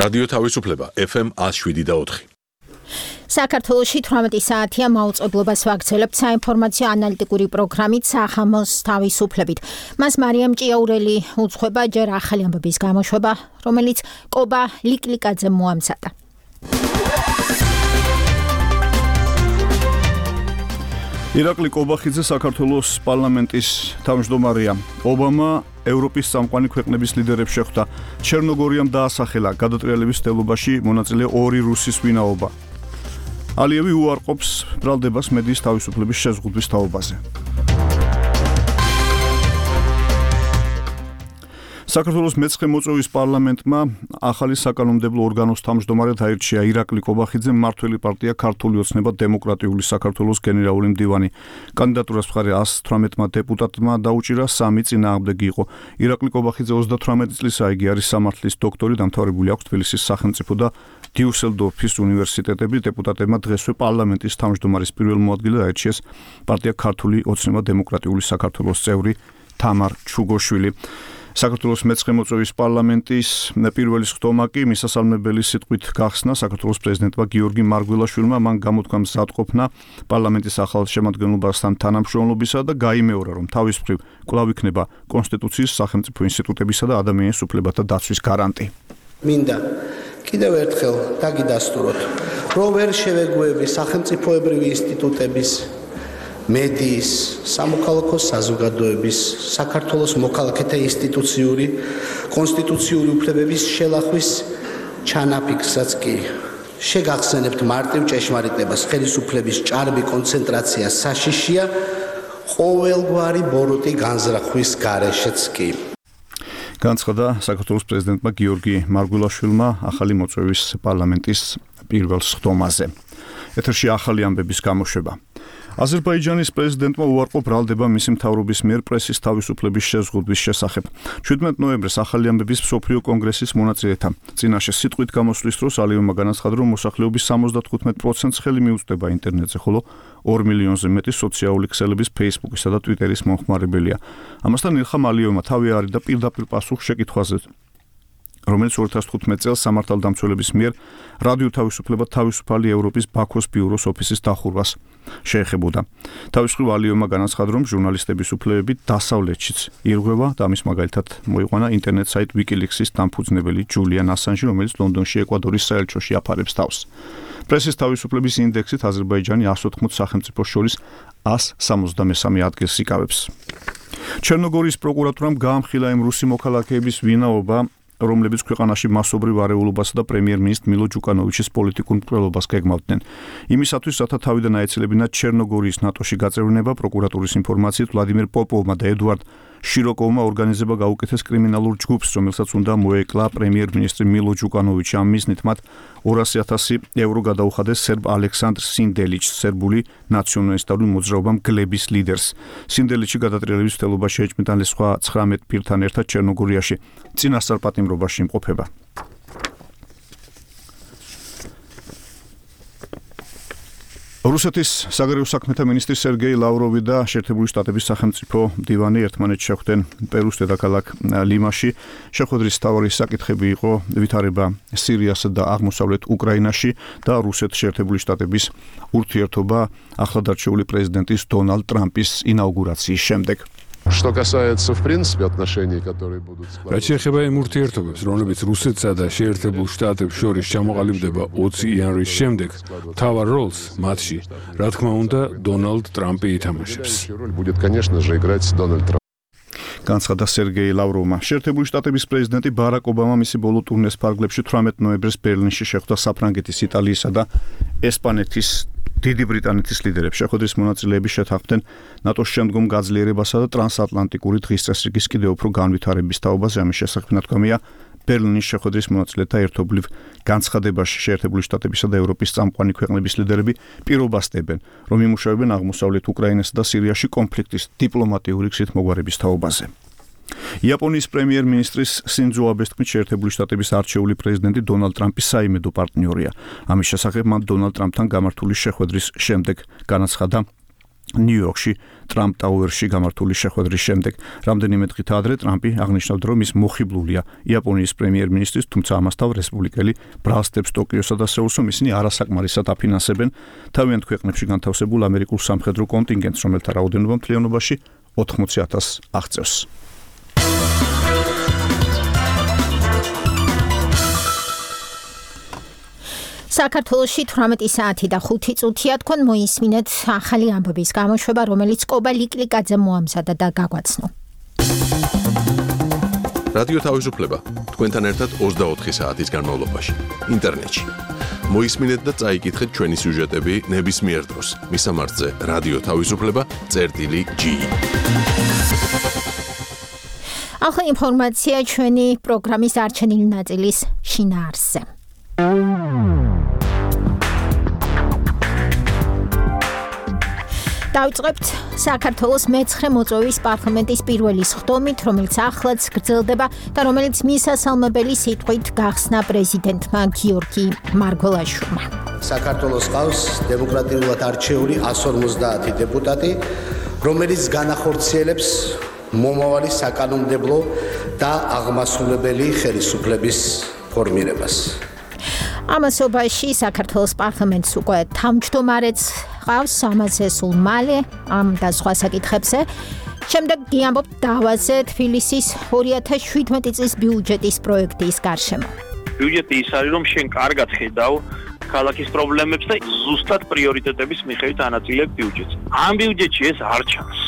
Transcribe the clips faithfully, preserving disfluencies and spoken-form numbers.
რადიო თავისუფლება ეფ ემ one oh seven და four. საქართველოში თვრამეტი საათია მაუწყებლობას ვაგრძელებთ საინფორმაციო ანალიტიკური პროგრამით სახამოს თავისუფლებით. მას მარიამ ჭიაურელი უძღვება ჯერ ახალი ამბების გამოშვება, რომელიც კობა ლიკლიკაძემ მოამზადა. ირაკლი კობახიძე საქართველოს პარლამენტის თავმჯდომარეა. ობამა ევროპის წამყვანი ქვეყნების ლიდერებს შეხვდა. ჩერნოგორიამ დაასახელა გადატრიალების მცდელობაში მონაწილე ორი რუსის ვინაობა. ალიევი უარყოფს ბრალდებას მედიის თავისუფლების შეზღუდვის თაობაზე. საქართველოს მეცხრე მოწვევის პარლამენტმა ახალი საკანონმდებლო ორგანოს თავმჯდომარედ აირჩია ირაკლი კობახიძე, მმართველი პარტია ქართული ოცნება დემოკრატიული საქართველოს გენერალური მდივანი. კანდიდატურას მხარე one hundred eighteen დეპუტატმა დაუჭირა, სამი წინააღმდეგი იყო. ირაკლი კობახიძე ოცდათვრამეტი წლისა, იგი არის სამართლის დოქტორი, დამთავრებული აქვს თბილისის სახელმწიფო და დიუსელდორფის უნივერსიტეტები. დეპუტატებმა დღესვე პარლამენტის თავმჯდომარის პირველ მოადგილედ აირჩიეს პარტია ქართული ოცნება დემოკრატიული საქართველოს წევრი თამარ ჩუგოშვილი. საქართველოს მეცხრე მოწვევის პარლამენტის პირველი სხდომა კი მისასალმებელი სიტყვით გახსნა საქართველოს პრეზიდენტმა გიორგი მარგველაშვილმა, მან გამოთქვა მზადყოფნა პარლამენტის ახალ შემადგენლობასთან თანამშრომლობისა და გაიმეორა, რომ თავის მხრივ კვლავ იქნება კონსტიტუციის, სახელმწიფო ინსტიტუტებისა და ადამიანის უფლებათა დაცვის გარანტი. მინდა კიდევ ერთხელ დაგიდასტუროთ, რომ ვერ შევეგუები სახელმწიფოებრივი ინსტიტუტების, მედიის, სამოქალაქო საზოგადოების, საქართველოს მოქალაქეთა ინსტიტუციური, კონსტიტუციური უფლებების შელახვის ჩანაფიქრსაც კი. შეგახსენებთ მარტივ ჭეშმარიტებას, ხელისუფლების ჭარბი კონცენტრაცია საშიშია ყოველგვარი ბოროტი განზრახვის გარეშეც კი. განცხადა საქართველოს პრეზიდენტმა გიორგი მარგველაშვილმა ახალი მოწვევის პარლამენტის პირველ სხდომაზე. ეთერში ახალი ამბების გამოშვება. აზერბაიჯანის პრეზიდენტმა უარყო ბრალდება მისი მთავრობის მიერ პრესის თავისუფლების შეზღუდვის შესახებ. seventeen ნოემბერს ახალი ამბების მსოფლიო კონგრესის მონაწილეთა წინაშე სიტყვით გამოსვლის დროს ალიევმა განაცხადა, რომ მოსახლეობის seventy-five პროცენტს ხელი მიუწვდება ინტერნეტზე, ხოლო two მილიონზე მეტი სოციალური ქსელების Facebook-ისა და Twitter-ის მომხმარებელია. ამასთან ილხამ ალიევმა თავი არის და პირდაპირ პასუხს შეკითხვაზე, რომელიც two thousand fifteen წელს სამართალდამცველების მიერ რადიო თავისუფლება თავისუფალი ევროპის ბაქოს ბიუროს ოფისის დახურვას შეეხებოდა. თავის მხრივ ალიევმა განაცხადა, რომ ჟურნალისტების უფლებები დასავლეთშიც ირღვევა და ამის მაგალითად მოიყვანა ინტერნეტ საიტ WikiLeaks-ის დამფუძნებელი ჯულიან ასანჟი, რომელიც ლონდონში ეკვადორის საელჩოში აფარებს თავს. პრესის თავისუფლების ინდექსით აზერბაიჯანი one hundred fourteen სახელმწიფოს შორის one hundred seventy-three ადგილს იკავებს. ჩერნოგორიის პროკურატურამ გაამხილა იმ რუსი მოქალაქეების ვინაობა, რომლებიც ქვეყანაში მასობრივ არეულობასა და პრემიერ-მინისტრ მილო ჯუკანოვიჩის პოლიტიკურ მკვლელობას გეგმავდნენ. იმისათვის, რათა თავიდან აეცილებინათ ჩერნოგორიის ნატოში გაწევრიანება, პროკურატურის ინფორმაციით ვლადიმერ პოპოვმა და ედუარდ შიროკოვმა ორგანიზება გაუკეთეს კრიმინალურ ჯგუფს, რომელსაც უნდა მოეკლა პრემიერ-მინისტრი მილო ჯუკანოვიჩი. ამ მიზნით მათ two hundred thousand ევრო გადაუხადეს სერბ ალექსანდრ სინდელიჩს, სერბული ნაციონალისტური მოძრაობა მგლების ლიდერს. სინდელიჩი გადატრიალების მცდელობაში ეჭვმიტანილ სხვა nineteen პირთან ერთად ჩერნოგორიაში წინასწარ პატიმრობაში იმყოფება. რუსეთის საგარეო საქმეთა მინისტრი სერგეი ლავროვი და შეერთებული შტატების სახელმწიფო მდივანი ერთმანეთს შეხვდნენ პერუს დედაქალაქ ლიმაში. შეხვედრის მთავარი საკითხები იყო ვითარება სირიასა და აღმოსავლეთ უკრაინაში და რუსეთ-შეერთებული შტატების ურთიერთობა ახლადარჩეული პრეზიდენტის დონალდ ტრამპის ინაუგურაციის შემდეგ. Что касается, в принципе, отношений, которые будут складываться. რაც შეეხება იმ ურთიერთობებს, რომლებიც რუსეთსა და შეერთებულ შტატებს შორის ჩამოყალიბდება twenty იანვრის შემდეგ, მთავარ როლს მათში, რა თქმა უნდა, დონალდ ტრამპი ითამაშებს. будет, конечно же, играть Дональд Трамп. განცხადა სერგეი ლავროვმა. შეერთებული შტატების პრეზიდენტი ბარაკ ობამა მისი ბოლო ტურნეს ფარგლებში eighteen ნოემბერს ბერლინში შეხვდა საფრანგეთის, იტალიისა და ესპანეთის დიდი ბრიტანეთის ლიდერებს. შეხვედრის მონაწილეები შეთანხმდნენ ნატოს შემდგომ გაძლიერებასა და ტრანსატლანტიკური დღის წესრიგის კიდევ უფრო განვითარების თაობაზე. ამის შესახებ ნათქვამია ბერლინის შეხვედრის მონაწილეთა ერთობლივ განცხადებაში. შეერთებული შტატებისა და ევროპის წამყვანი ქვეყნების ლიდერები პირობას დებენ, რომ იმუშავებენ აღმოსავლეთ უკრაინასა და სირიაში კონფლიქტის დიპლომატიური გზით მოგვარების თაობაზე. იაპონიის პრემიერ-მინისტრის სინძო აბეს თქმით, შეერთებული შტატების არჩეული პრეზიდენტი დონალდ ტრამპის საიმედო პარტნიორია. ამის შესახებ მან დონალდ ტრამპთან გამართული შეხვედრის შემდეგ განაცხადა, ნიუ-იორკში ტრამპ ტაუერში გამართული შეხვედრის შემდეგ. რამდენიმე დღით ადრე ტრამპი აღნიშნავდა, რომ ის მოხიბლულია იაპონიის პრემიერ-მინისტრის, თუმცა ამასთან რესპუბლიკელი ბრალსტებს ტოკიოსა და სეულს, რომ ისინი არასაკმარისად აფინანსებენ თავიანთ ქვეყნებში განთავსებულ ამერიკულ სამხედრო კონტინგენტს, რომელთა რაოდენობა მთლიანობაში ოთხმოცი ათასს აღწევს. საქართველოში თვრამეტი საათი და ხუთი წუთია თქვენ მოისმინეთ ახალი ამბების გამოშვება, რომელიც კობა ლიკლიკაძე მოამზადა და გაგვაცნო. რადიო თავისუფლება თქვენთან ერთად ოცდაოთხი საათის განმავლობაში ინტერნეტში. მოისმინეთ და წაიკითხეთ ჩვენი სიუჟეტები ნებისმიერ დროს. მისამართზე რადიო თავისუფლება წერტილი ჯი. ახლა ინფორმაცია ჩვენი პროგრამის არჩენილი ნაწილის შინაარსზე. დავიწყებთ საქართველოს მეცხრე მოწვევის პარლამენტის პირველი სხდომით, რომელიც ახლაც გრძელდება და რომელიც მისასალმებელი სიტყვით გახსნა პრეზიდენტმა გიორგი მარგველაშვილმა. საქართველოს ყავს დემოკრატიულად არჩეული εκατს ორმოცდაათი დეპუტატი, რომელიც განახორციელებს მომავალი საკანონმდებლო და აღმასრულებელი ხელისუფლების ფორმირებას. ამასობაში საქართველოს პარლამენტს უკვე თავმჯდომარეც ყავს, ამაზე სულ მალე ამ და სხვა საკითხებზე. შემდეგ გიამბობთ დავაზე თბილისის ორი ათას შვიდმეტი წლის ბიუჯეტის პროექტის გარშემო. ბიუჯეტი ის არის, რომ შენ კარგად ხედავ ქალაქის პრობლემებს და ზუსტად პრიორიტეტების მიხედვით ანაწილებ ბიუჯეტს. ამ ბიუჯეტში ეს არ ჩანს.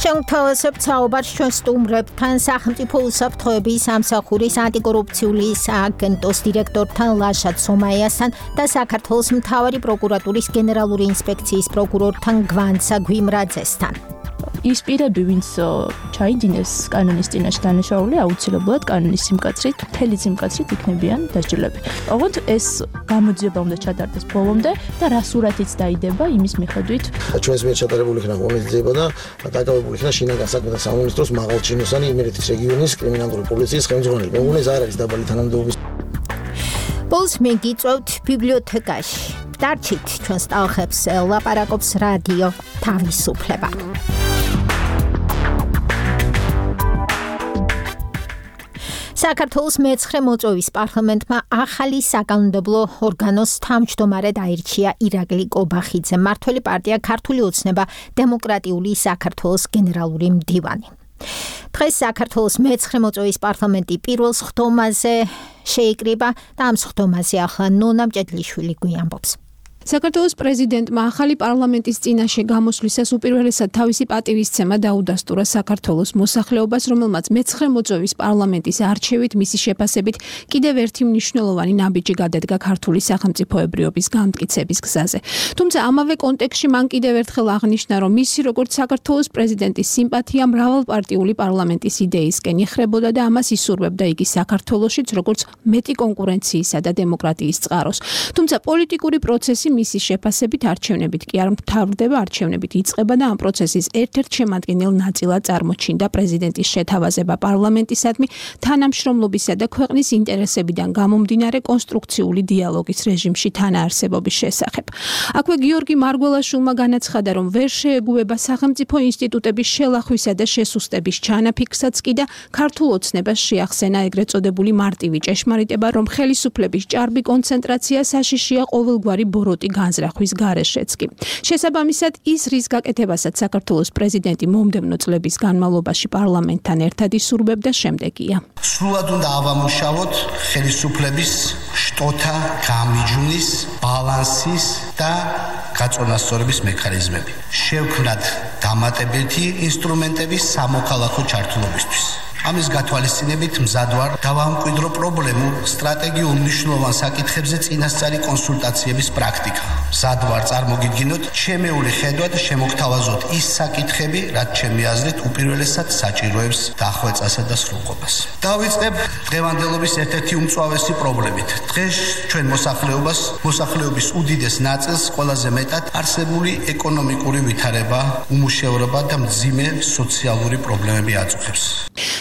შევთავაზებთ საუბარს ჩვენ სტუმრებთან, სახელმწიფო უსაფრთხოების სამსახურის ანტიკორუფციული სააგენტოს დირექტორთან ლაშა ცომაიასთან და საქართველოს მთავარი პროკურატურის გენერალური ინსპექციის პროკურორთან გვანცა გვიმრაძესთან. ის პირები, ვინც ჩაიდინეს კანონის წინაშე დანაშაული, აუცილებლად კანონის სიმკაცრით, მთელი სიმკაცრით იქნებიან დასჯილები. ოღონდ ეს გამოძიება უნდა ჩატარდეს ბოლომდე და რა სურათიც დაიდება იმის მიხედვით. ჩვენს მიერ ჩატარებული იქნა ღონისძიება და დაკავებული იქნა შინაგან საქმეთა სამინისტროს მაღალჩინოსანი იმერეთის რეგიონის კრიმინალური პოლიციის ხელმძღვანელი. მე მგონი ეს არ არის დაბალი თანამდებობის. ბოლოს მეგიწევთ ბიბლიოთეკაში. დარჩით ჩვენს ტალღებს ლაპარაკობს რადიო თავისუფლება. საქართველოს მეცხრე მოწვევის პარლამენტმა ახალი საკანონმდებლო ორგანოს თავმჯდომარედ აირჩია ირაკლი კობახიძე, მმართველი პარტია ქართული ოცნება დემოკრატიული საქართველოს გენერალური მდივანი. დღეს საქართველოს მეცხრე მოწვევის პარლამენტი პირველ სხდომაზე შეიკრიბა და ამ სხდომაზე ახლა ნონა მჭედლიშვილი გვიამბობს. საქართველოს პრეზიდენტმა ახალი პარლამენტის წინაშე გამოსვლისას უპირველესად თავისი პატივისცემა დაუდასტურა საქართველოს მოსახლეობას, რომელმაც მეცხრე მოწვევის პარლამენტის არჩევით მისი შეფასებით კიდევ ერთი მნიშვნელოვანი ნაბიჯი გადადგა ქართული სახელმწიფოებრიობის განმტკიცების გზაზე. თუმცა ამავე კონტექსტში მან კიდევ ერთხელ აღნიშნა, რომ მისი როგორც საქართველოს პრეზიდენტის სიმპათია მრავალპარტიული პარლამენტის იდეისკენ იხრებოდა და ამას ისურვებდა იგი საქართველოშიც როგორც მეტი კონკურენციისა და დემოკრატიის წყაროს. თუმცა პოლიტიკური პროცესი მისი შეფასებით არჩევნებით კი არ მთავრდება, არჩევნებით იწყება და ამ პროცესის ერთ-ერთ შემადგენელ ნაწილად წარმოჩინდა პრეზიდენტის შეთავაზება პარლამენტისადმი თანამშრომლობისა და ქვეყნის ინტერესებიდან გამომდინარე კონსტრუქციული დიალოგის რეჟიმში თანაარსებობის შესახებ. აქვე გიორგი მარგველაშვილმა განაცხადა, რომ ვერ შეეგუება სახელმწიფო ინსტიტუტების შელახვისა და შესუსტების ჩანაფიქრსაც კი და ქართულ ოცნებას შეახსენა ეგრეთ წოდებული მარტივი ჭეშმარიტება, რომ ხელისუფლების ჭარბი კონცენტრაცია საშიშია ყოველგვარი ბოროტი განზრახვის გარეშეც კი. შესაბამისად, ის რის გაკეთებასაც საქართველოს პრეზიდენტი მომდევნო წლების განმავლობაში პარლამენტთან ერთად ისურვებდა შემდეგია. სრულად უნდა ავამუშავოთ ხელისუფლების შტოთა გამიჯვნის, ბალანსის და გაწონასწორების მექანიზმები. შევქმნათ დამატებითი ინსტრუმენტები სამოქალაქო ჩართულობისთვის. ამის გათვალისწინებით მზად ვარ დავამკვიდრო პრობლემურ სტრატეგიულ მნიშვნელოვან საკითხებზე წინასწარი კონსულტაციების პრაქტიკა. მზად ვარ წარმოგიდგინოთ ჩემეული ხედვად შემოგთავაზოთ ის საკითხები, რაც ჩემი აზრით უპირველესად საჭიროებს დახვეწასა და სრულყოფას. დავიწყებ დღევანდელობის ერთ-ერთი უმწვავესი პრობლემით. დღეს ჩვენ მოსახლეობას, მოსახლეობის უდიდეს ნაწილს ყველაზე მეტად არსებული ეკონომიკური ვითარება, უმუშევრობა და მძიმე სოციალური პრობლემები აწუხებს.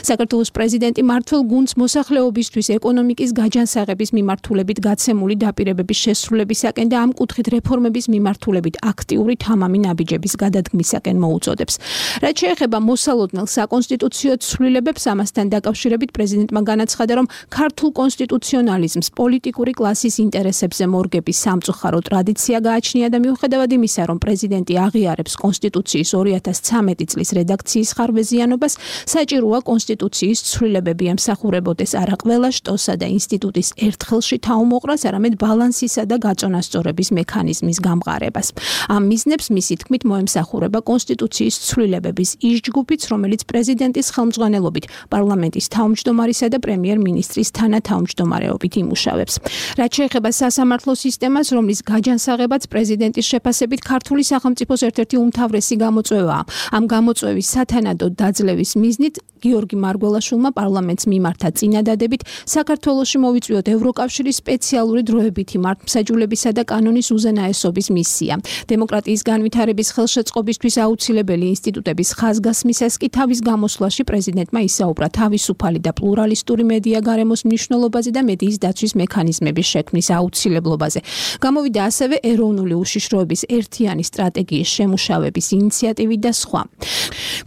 საქართველოს პრეზიდენტი მმართველ გუნდს მოსახლეობისთვის ეკონომიკის გაჯანსაღების მიმართულებით გაცემული დაპირებების შესრულებისაკენ და ამ კუთხით რეფორმების მიმართულებით აქტიური თამამი ნაბიჯების გადადგმისაკენ მოუწოდებს. რაც შეეხება მოსალოდნელ საკონსტიტუციო ცვლილებებს, ამასთან დაკავშირებით პრეზიდენტმა განაცხადა, რომ ქართულ კონსტიტუციონალიზმს პოლიტიკური კლასის ინტერესებზე მორგების სამწუხარო ტრადიცია გააჩნია და მიუხედავად იმისა, რომ პრეზიდენტი აღიარებს კონსტიტუციის ორი ათას ცამეტი წლის რედაქციის ხარვეზიანობას, საჭიროა კონსტიტუციის ცვლილებები ემსახურებოდეს არა ყველა შტოსა და ინსტიტუტის ერთხელში თაუმოყრას, არამედ ბალანსისა და გაწონასწორების მექანიზმის გამყარებას. ამ მიზნებს მისი თქმით მოემსახურება კონსტიტუციის ცვლილებების ის ჯგუფიც, რომელიც პრეზიდენტის ხელმძღვანელობით პარლამენტის თავმჯდომარისა და პრემიერ-მინისტრის თანათავმჯდომარეობით იმუშავებს. რაც შეეხება სასამართლო სისტემას, რომლის გაჯანსაღებაც პრეზიდენტის შეფასებით ქართული სახელმწიფოს ერთ-ერთი უმთავრესი გამოწვევაა. ამ გამოწვევის სათანადოდ დაძლევის მიზნით გიორგი მარგველაშვილმა პარლამენტს მიმართა წინადადებით საქართველოში მოვიწვიოთ ევროკავშირის სპეციალური დროებითი მართლმსაჯულებისა და კანონის უზენაესობის მისია. დემოკრატიის განვითარების ხელშეწყობისთვის აუცილებელი ინსტიტუტების ხაზგასმისას კი თავის გამოსვლაში პრეზიდენტმა ისაუბრა თავისუფალი და პლურალისტური მედია გარემოს მნიშვნელობაზე და მედიის დაცვის მექანიზმების შექმნის აუცილებლობაზე. გამოვიდა ასევე ეროვნული უშიშროების ერთიანი სტრატეგიის შემუშავების ინიციატივი და სხვა.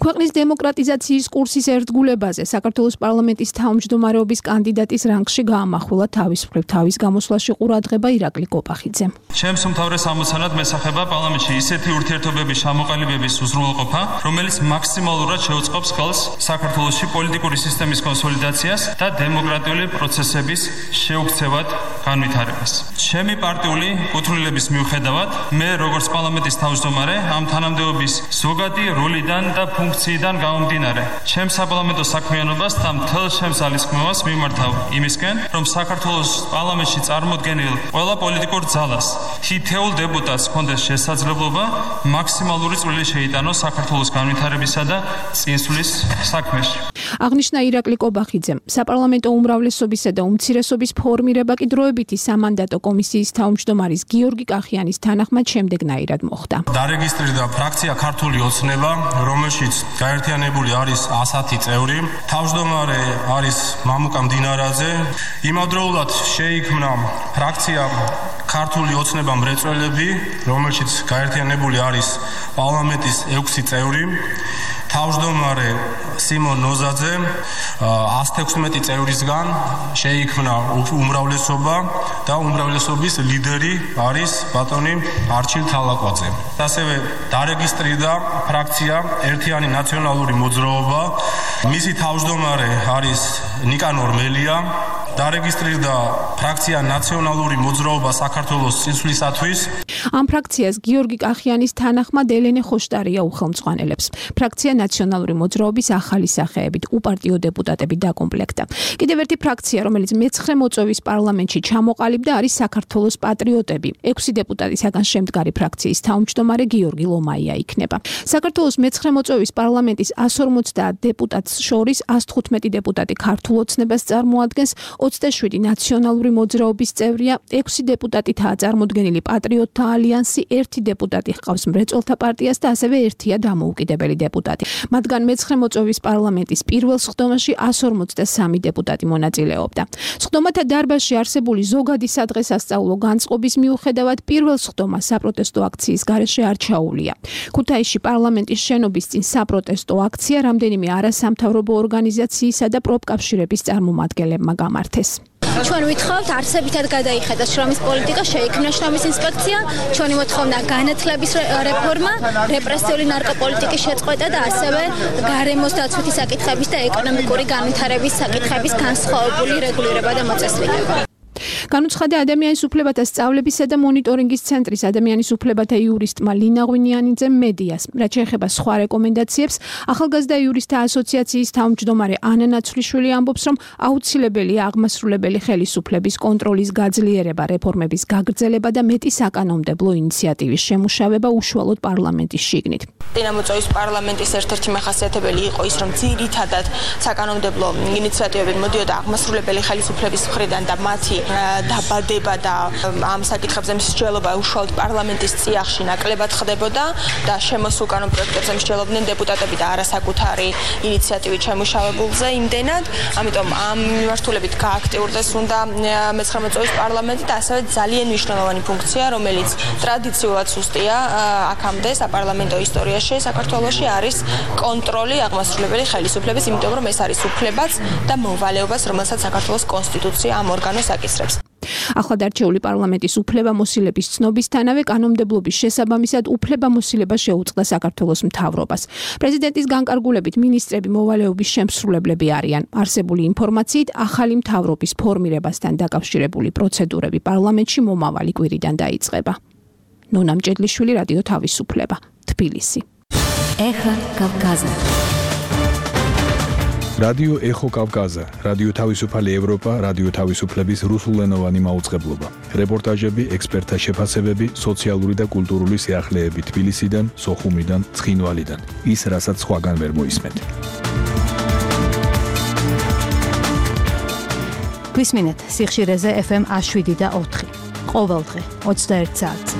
ქვეყნის დემოკრატიზაციის კურსის ერთგულებაზე საქართველოს პარლამენტის თავმჯდომარეობის კანდიდატის რანგში გაამახვილა თავის მხრივ თავის გამოსვლაში ყურადღება ირაკლი კოპახიძემ. ჩემს უმთავრეს ამოცანად მესახება პარლამენტში ისეთი ურთიერთობების ჩამოყალიბების უზრუნველყოფა, რომელიც მაქსიმალურად შეუწყობს ხელს საქართველოში პოლიტიკური სისტემის კონსოლიდაციას და დემოკრატიული პროცესების შეუქცევად განვითარებას. ჩემი პარტიული კუთვნილების მიუხედავად, მე როგორც პარლამენტის თავმჯდომარე ამ თანამდებობის ზოგადი როლიდან და ფუნქციიდან გამომდინარე, ჩემს საპარლამენტო საქმიანობას და მთელ ჩემს ძალისხმევას მიმართავ იმისკენ, რომ საქართველოს პარლამენტში წარმოდგენილ ყველა პოლიტიკურ ძალას, თითოეულ დეპუტატს ჰქონდეს შესაძლებლობა მაქსიმალური წვლილი შეიტანოს საქართველოს განვითარებისა და წინსვლის საქმეში. აღნიშნა ირაკლი კობახიძემ. საპარლამენტო უმრავლესობისა და უმცირესობის ფორმირება კი დროებითი სამანდატო კომისიის თავმჯდომარის გიორგი კახიანის თანახმად შემდეგნაირად მოხდა. დარეგისტრირდა ფრაქცია ქართული ოცნება, რომელშიც გაერთიანებული არის ასათი წევრი. თავმჯდომარე არის მამუკა მდინარაძე. იმავდროულად შეიქმნა ფრაქცია ქართული ოცნება მრეწველები, რომელშიც გაერთიანებული არის პარლამენტის ექვსი წევრი. თავმჯდომარე სიმონ ნოზაძე ას თექვსმეტი წევრისგან შეიქმნა უმრავლესობა და უმრავლესობის ლიდერი არის ბატონი არჩილ თალაკვაძე. ასევე დარეგისტრირდა ფრაქცია ერთიანი ნაციონალური მოძრაობა. მისი თავმჯდომარე არის ნიკანორ მელია. დარეგისტრირდა ფრაქცია ნაციონალური მოძრაობა საქართველოს წინსვლისათვის. ამ ფრაქციას გიორგი კახიანის თანახმად ელენე ხოშტარია უხელმძღვანელებს. ფრაქცია ნაციონალური მოძრაობის ახალი სახეებით უპარტიო დეპუტატები დაკომპლექტა. კიდევ ერთი ფრაქცია, რომელიც მეცხრე მოწვევის პარლამენტში ჩამოყალიბდა, არის საქართველოს პატრიოტები. ექვსი დეპუტატისაგან შემდგარი ფრაქციის თავმჯდომარე გიორგი ლომაია იქნება. საქართველოს მეცხრე მოწვევის პარლამენტის ას ორმოცდაათ დეპუტატს შორის ას თხუთმეტი დეპუტატი ქართულ ოცნებას წარმოადგენს, ოცდაშვიდი ნაციონალური მოძრაობის წევრია, ექვსი დეპუტატითაა წარმოდგენილი პატრიოტთა ალიანსი, ერთი დეპუტატი ჰყავს მრეწველთა პარტიას და ასევე ერთია დამოუკიდებელი დეპუტატი. მათგან მეცხრე მოწვევის პარლამენტის პირველ სხდომაში ას ორმოცდასამი დეპუტატი მონაწილეობდა. სხდომათა დარბაზში არსებული ზოგადი სადღესასწაულო განწყობის მიუხედავად პირველ სხდომა საპროტესტო აქციის გარეშე არ ჩაუვლია. ქუთაისში პარლამენტის შენობის წინ საპროტესტო აქცია რამდენიმე არასამთავრობო ორგანიზაციისა და პროფკავშირების წარმომადგენლებმა გამართეს. ჩვენ ვითხოვთ არსებითად გადაიხედოს შრომის პოლიტიკა, შეიქმნა შრომის ინსპექცია, ჩვენი მოთხოვნა განათლების რეფორმა, რეპრესიული ნარკოპოლიტიკის შეწყვეტა და ასევე გარემოს დაცვითი საკითხების და ეკონომიკური განვითარების საკითხების განსხვავებული რეგულირება და მოწესრიგება. განუცხადა ადამიანის უფლებათა სწავლებისა და მონიტორინგის ცენტრის ადამიანის უფლებათა იურისტმა ლინა ღვინიანიძემ მედიას. რაც შეეხება სხვა რეკომენდაციებს, ახალგაზრდა იურისტთა ასოციაციის თავმჯდომარე ანა ნაცვლიშვილი ამბობს, რომ აუცილებელია აღმასრულებელი ხელისუფლების კონტროლის გაძლიერება, რეფორმების გაგრძელება და მეტი საკანონმდებლო ინიციატივის შემუშავება უშუალოდ პარლამენტის შიგნით. დინამოწვევის პარლამენტის ერთ-ერთი მახასიათებელი იყო ის, რომ ძირითადად საკანონმდებლო ინიციატივები მოდიოდა აღმასრულებელი ხელისუფლების მხრიდან და მათი დაბადება და ამ საკითხებზე მსჯელობა უშუალოდ პარლამენტის წიაღში ნაკლებად ხდებოდა და შემოსულ კანონ პროექტებზე მსჯელობდნენ დეპუტატები და არასაკუთარი ინიციატივით შემუშავებულზე იმდენად, ამიტომ ამ მიმართულებით გააქტიურდეს უნდა მეცხრე მოწვევის პარლამენტი და ასევე ძალიან მნიშვნელოვანი ფუნქცია, რომელიც ტრადიციულად სუსტია აქამდე საპარლამენტო ისტორიაში საქართველოში არის კონტროლი აღმასრულებელი ხელისუფლების, იმიტომ რომ ეს არის უფლებაც და მოვალეობას, რომელსაც საქართველოს კონსტიტუცია ამ ორგანოს აკისრებს. ახლადარჩეული პარლამენტის უფლებამოსილების ცნობისთანავე კანონმდებლობის შესაბამისად უფლებამოსილება შეუწყდა საქართველოს მთავრობას. პრეზიდენტის განკარგულებით მინისტრები მოვალეობის შემსრულებლები არიან. არსებული ინფორმაციით ახალი მთავრობის ფორმირებასთან დაკავშირებული პროცედურები პარლამენტში მომავალი კვირიდან დაიწყება. ნონა მჭედლიშვილი, რადიო თავისუფლება, თბილისი. ეხა კავკაზა. რადიო ეხო კავკაზა, რადიო თავისუფალი ევროპა, რადიო თავისუფლების რუსულენოვანი მაუწყებლობა. რეპორტაჟები, ექსპერტთა შეფასებები, სოციალური და კულტურული სიახლეები თბილისიდან, სოხუმიდან, ცხინვალიდან. ის, რასაც სხვაგან ვერ მოისმენთ. გვისმინეთ სიხშირეზე ეფ ემ შვიდი და ოთხი. ყოველდღე ოცდაერთ საათზე.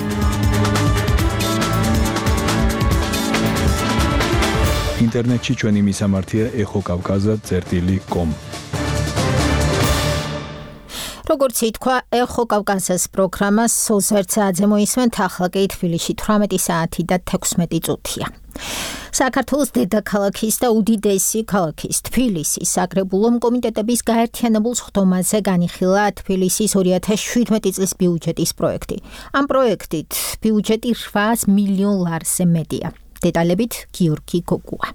ინტერნეტში ჩვენი მისამართია ეხო კავკაზა წერტილი კომ. როგორც ითქვა, ეხო კავკაზას პროგრამას ოცდაერთ საათზე მოისმენთ, ახლა კი თბილისში თვრამეტი საათი და თექვსმეტი წუთია. საქართველოს დედაქალაქის და უდიდესი ქალაქის თბილისის საკრებულო კომიტეტების გაერთიანებულ სხდომაზე განიხილა თბილისის ორი ათას შვიდმეტი წლის ბიუჯეტის პროექტი. ამ პროექტით ბიუჯეტი რვაას მილიონ ლარზე მეტია. დეტალებით გიორგი გოგუა.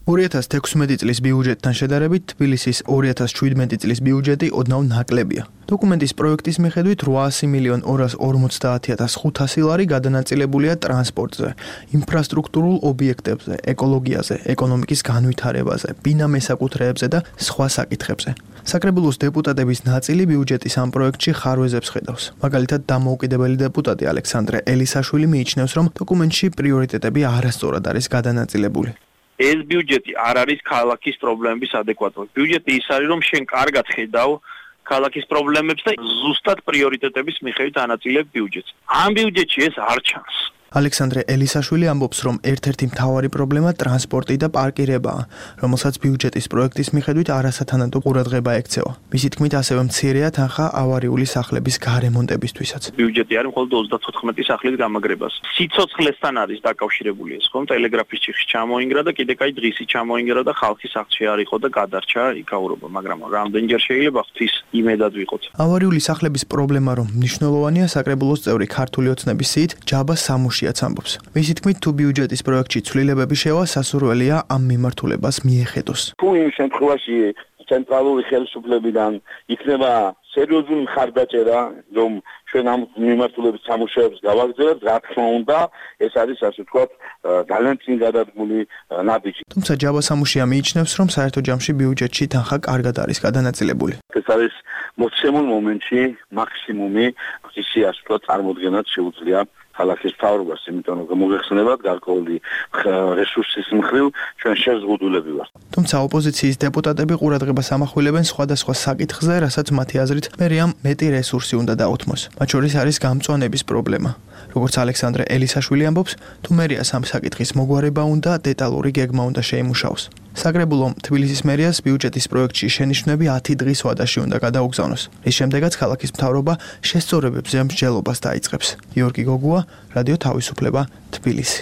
ორი ათას თექვსმეტი წლის ბიუჯეტთან შედარებით თბილისის ორი ათას შვიდმეტი წლის ბიუჯეტი ოდნავ ნაკლებია. დოკუმენტის პროექტის მიხედვით რვაასი მილიონ ორას ორმოცდაათი ათას ხუთასი ლარი გადანაწილებულია ტრანსპორტზე, ინფრასტრუქტურულ ობიექტებზე, ეკოლოგიაზე, ეკონომიკის განვითარებაზე, ბინა მესაკუთრეებზე და სხვა საკითხებზე. საკრებულოს დეპუტატების ნაწილი ბიუჯეტის ამ პროექტში ხარვეზებს ხედავს. მაგალითად, დამოუკიდებელი დეპუტატი ალექსანდრე ელისაშვილი მიიჩნევს, რომ დოკუმენტში პრიორიტეტები არასწორად არის გადანაწილებული. ეს ბიუჯეტი არ არის ქალაქის პრობლემების ადეკვატური. ბიუჯეტი ის არის, რომ შენ კარგად ხედავ ქალაქის პრობლემებს და ზუსტად პრიორიტეტების მიხედვით ანაწილებ ბიუჯეტს. ამ ბიუჯეტში ეს არ ჩანს. ალექსანდრე ელისაშვილი ამბობს, რომ ერთ-ერთი მთავარი პრობლემა ტრანსპორტი და პარკირებაა, რომელსაც ბიუჯეტის პროექტის მიხედვით არასათანადო ყურადღება ექცევა. მისი თქმით, ასევე მცირეა თანხა ავარიული სახლების გარემონტებისთვისაც. ბიუჯეტი არის მხოლოდ ოცდათოთხმეტი სახლის გამაგრებას. სიცოცხლესთან არის დაკავშირებული ეს, ხომ? ტელეგრაფის ციხე ჩამოინგრა და კიდე კაი დღისი ჩამოინგრა და ხალხი სახლში არ იყო და გადარჩა იქაურობა, მაგრამ რამდენჯერ შეიძლება ღვთის იმედად ვიყოთ. ავარიული სახლების პრობლემა რომ მნიშვნელოვანია, საკრებულოს წევრი ქართული ოცნების სიით ჯაბა სამუშიაც ამბობს. მისი თქმით, თუ ბიუჯეტის პროექტში ცვლილებები შევა, სასურველია ამ მიმართულებას მიეხედოს. თუ იმ შემთხვევაში ცენტრალური ხელისუფლებიდან იქნება სერიოზული მხარდაჭერა, რომ ჩვენ ამ მიმართულებით სამუშაოებს გავაგრძელებთ, რა თქმა უნდა, ეს არის ასე ვთქვათ, ძალიან წინ გადადგმული ნაბიჯი. თუმცა ჯაბა სამუშია მიიჩნევს, რომ საერთო ჯამში ბიუჯეტში თანხა კარგად არის გადანაწილებული. ეს არის მოცემულ მომენტში მაქსიმუმი, ისი ასე ვთქვათ, წარმოდგენად შეუძლია ქალაქის მთავრობას, იმიტომ რომ მოგეხსენებათ გარკვეული რესურსის მხრივ ჩვენ შეზღუდულები ვართ. თუმცა ოპოზიციის დეპუტატები ყურადღებას ამახვილებენ სხვადასხვა საკითხზე, რასაც მათი აზრით მერიამ მეტი რესურსი უნდა დაუთმოს. მათ შორის არის გამწვანების პრობლემა. როგორც ალექსანდრე ელისაშვილი ამბობს, თუ მერიას ამ საკითხის მოგვარება უნდა, დეტალური გეგმა უნდა შეიმუშაოს. საკრებულომ თბილისის მერიას ბიუჯეტის პროექტში შენიშვნები ათი დღის ვადაში უნდა გადაუგზავნოს. რის შემდეგაც ქალაქის მთავრობა შესწორებებზე მსჯელობას დაიწყებს. გიორგი გოგუა, რადიო თავისუფლება, თბილისი.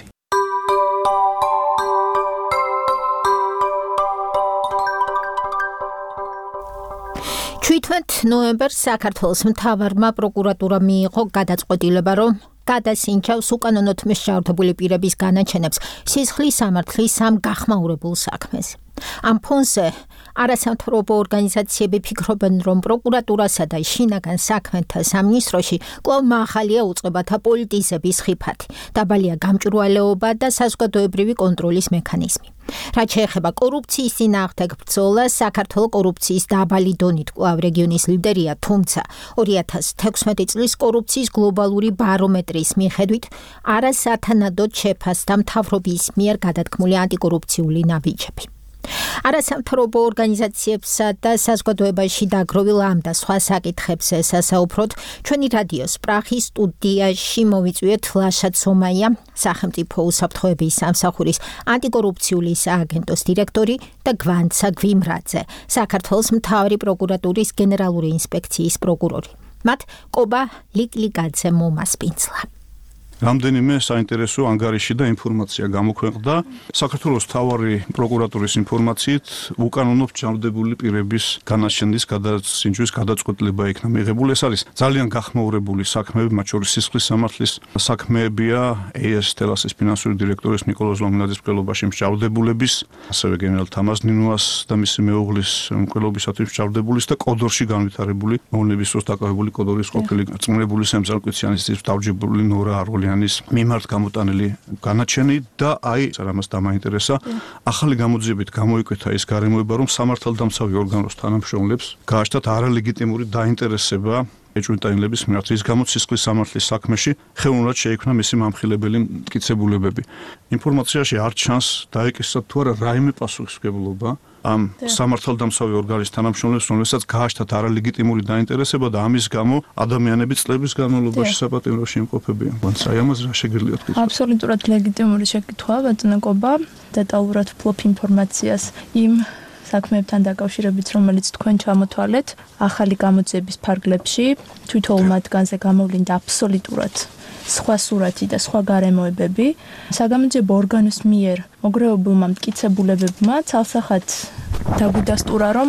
ჩვიდმეტ ნოემბერს საქართველოს მთავარმა პროკურატურამ მიიღო გადაწყვეტილება, რომ გადასინჯავს უკანონოდ მისჯავრდებული პირების განაჩენებს სისხლის სამართლის ამ გახმაურებულ საქმეს. ამ ფონზე არასამთავრობო ორგანიზაციები ფიქრობენ, რომ პროკურატურასა და შინაგან საქმეთა სამინისტროში კვლავ მაღალია უწყებათა პოლიტიზების ხიფათი, დაბალია გამჭვირვალეობა და საზოგადოებრივი კონტროლის მექანიზმი. რაც შეეხება კორუფციის წინააღმდეგ ბრძოლას, საქართველოს კორუფციის დაბალი დონით კვლავ რეგიონის ლიდერია, თუმცა ორი ათას თექვსმეტი წლის კორუფციის გლობალური ბარომეტრის მიხედვით არასათანადოდ შეფასდა მთავრობის მიერ გადადგმული ანტიკორუფციული ნაბიჯები. არასამთავრობო ორგანიზაციებსა და საზოგადოებაში დაგროვილ ამ და სხვა საკითხებზე სასაუბროთ ჩვენი რადიოს პრაღის სტუდიაში მოვიწვიეთ ლაშა ცომაია, სახელმწიფო უსაფრთხოების სამსახურის ანტიკორუფციული სააგენტოს დირექტორი და გვანცა გვიმრაძე, საქართველოს მთავარი პროკურატურის გენერალური ინსპექციის პროკურორი. მათ კობა ლიკლიგაძე მომასპინძლა. რამდენიმე საინტერესო ანგარიში და ინფორმაცია გამოქვეყნდა. საქართველოს მთავარი პროკურატურის ინფორმაციით უკანონო ჩამორდებული პირების განაჩენის გადასინჯვის გადაწყვეტილება იქნა მიღებული. ეს არის ძალიან გახმაურებული საქმეები, მათ შორის სისხლის სამართლის საქმეებია, ეეს თელასის ფინანსური დირექტორის ნიკოლოზ ლომნაძის მკვლელობაში მსჯავრდებულების, ასევე გენერალ თამაზ ნინუას და მისი მეუღლის მკვლელობისათვის მსჯავრდებულის და კოდორში განვითარებული მოვლენების დროს დაკავებული კოდორის ყოფილი წმუნებული სემზალკვიციანის დავჯებული ნორა აროლი მიმართ გამოტანილი განაჩენი და აი რამას დამაინტერესა ახალი გამოძიებით გამოიკვეთა ის გარემოება რომ სამართალდამცავი ორგანოს თანამშრომლებს გააჩნდათ არალეგიტიმური დაინტერესება ეჭვმიტანილების მიმართ ის გამოც სისხლის სამართლის საქმეში ხელოვნურად შეიქმნა მისი მამხილებელი მტკიცებულებები. ინფორმაციაში არ ჩანს დაეკისრათ თუ არა რაიმე პასუხისმგებლობა ამ სამართალდამცავი ორგანოს თანამშრომლებს, რომელსაც გააჩნდათ არალეგიტიმური დაინტერესება და ამის გამო ადამიანები წლების განმავლობაში საპატიმროში იმყოფებიან. აი ამაზე რა შეგიძლიათ თქვით? აბსოლუტურად ლეგიტიმური შეკითხვაა, ბატონო კობა, დეტალურად ვფლობ ინფორმაციას იმ საქმეებთან დაკავშირებით, რომელიც თქვენ ჩამოთვალეთ, ახალი გამოძიების ფარგლებში, თვითონ მათგანზე გამოვლინდა აბსოლუტურად სხვა სურათი და სხვა გარემოებები. საგამოძიებო ორგანოს მიერ მოგროვებულმა მტკიცებულებებმა ცალსახად დაგვიდასტურა, რომ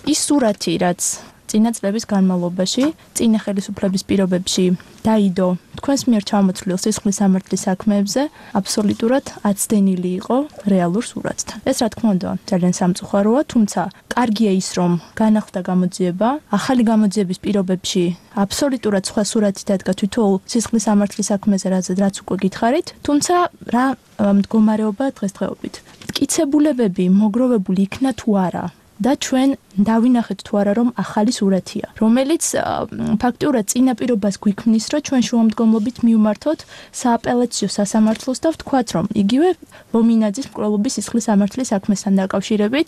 ის სურათი, რაც წინა წლების განმავლობაში, წინა ხელისუფლების პირობებში დაიდო თქვენს მიერ ჩამოთვლილ სისხლის სამართლის საქმეებზე, აბსოლუტურად აცდენილი იყო რეალურ სურათთან. ეს რა თქმა უნდა ძალიან სამწუხაროა, თუმცა კარგია ის, რომ განახლდა გამოძიება, ახალი გამოძიების პირობებში აბსოლუტურად სხვა სურათი დადგა თვითონ სისხლის სამართლის საქმეზე, რაც უკვე გითხარით, თუმცა რა მდგომარეობა დღესდღეობით. მტკიცებულებები მოგროვებული იქნა თუ არა და ჩვენ დავინახეთ თუ არა რომ ახალი სურათია, რომელიც ფაქტიურად წინაპირობას გვიქმნის, რომ ჩვენ შუამდგომლობით მივმართოთ სააპელაციო სასამართლოს და ვთქვათ, რომ იგივე ლომინაძის მკვლელობის სისხლის სამართლის საქმესთან დაკავშირებით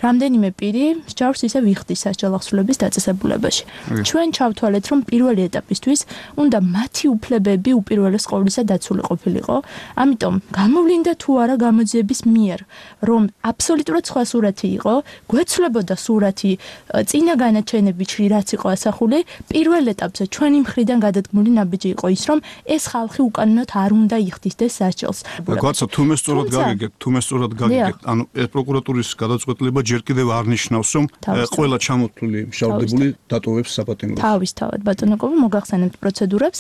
რამდენიმე პირი მსჯავრს ისე ვიხდის სასჯელახსრულების დაწესებულებაში. ჩვენ ჩავთვალეთ, რომ პირველი ეტაპისთვის უნდა მათი უფლებები უპირველეს ყოვლისა დაცული ყოფილიყო. ამიტომ გამოვლინდა თუ არა გამოძიების მიერ, რომ აბსოლუტურად სხვა სურათი იყო, გვეცვლებოდა სურათი წინა განაჩენებში რაც იყო ასახული, პირველ ეტაპზე ჩვენი მხრიდან გადადგმული ნაბიჯი იყო ის, რომ ეს ხალხი უკანონოდ არ უნდა იხდისდეს სასჯელს. გაცა თუ მე სწორად გაგიგებთ, თუ მე სწორად გაგიგებთ, ანუ ეს პროკურატურის გადაწყვეტილება ჯერ კიდევ არ ნიშნავს, რომ ყველა ჩამოთვლილი მშავდებული დატოვებს საპატიმროს. თავისთავად, ბატონო კობა, მოგახსენებთ პროცედურებს.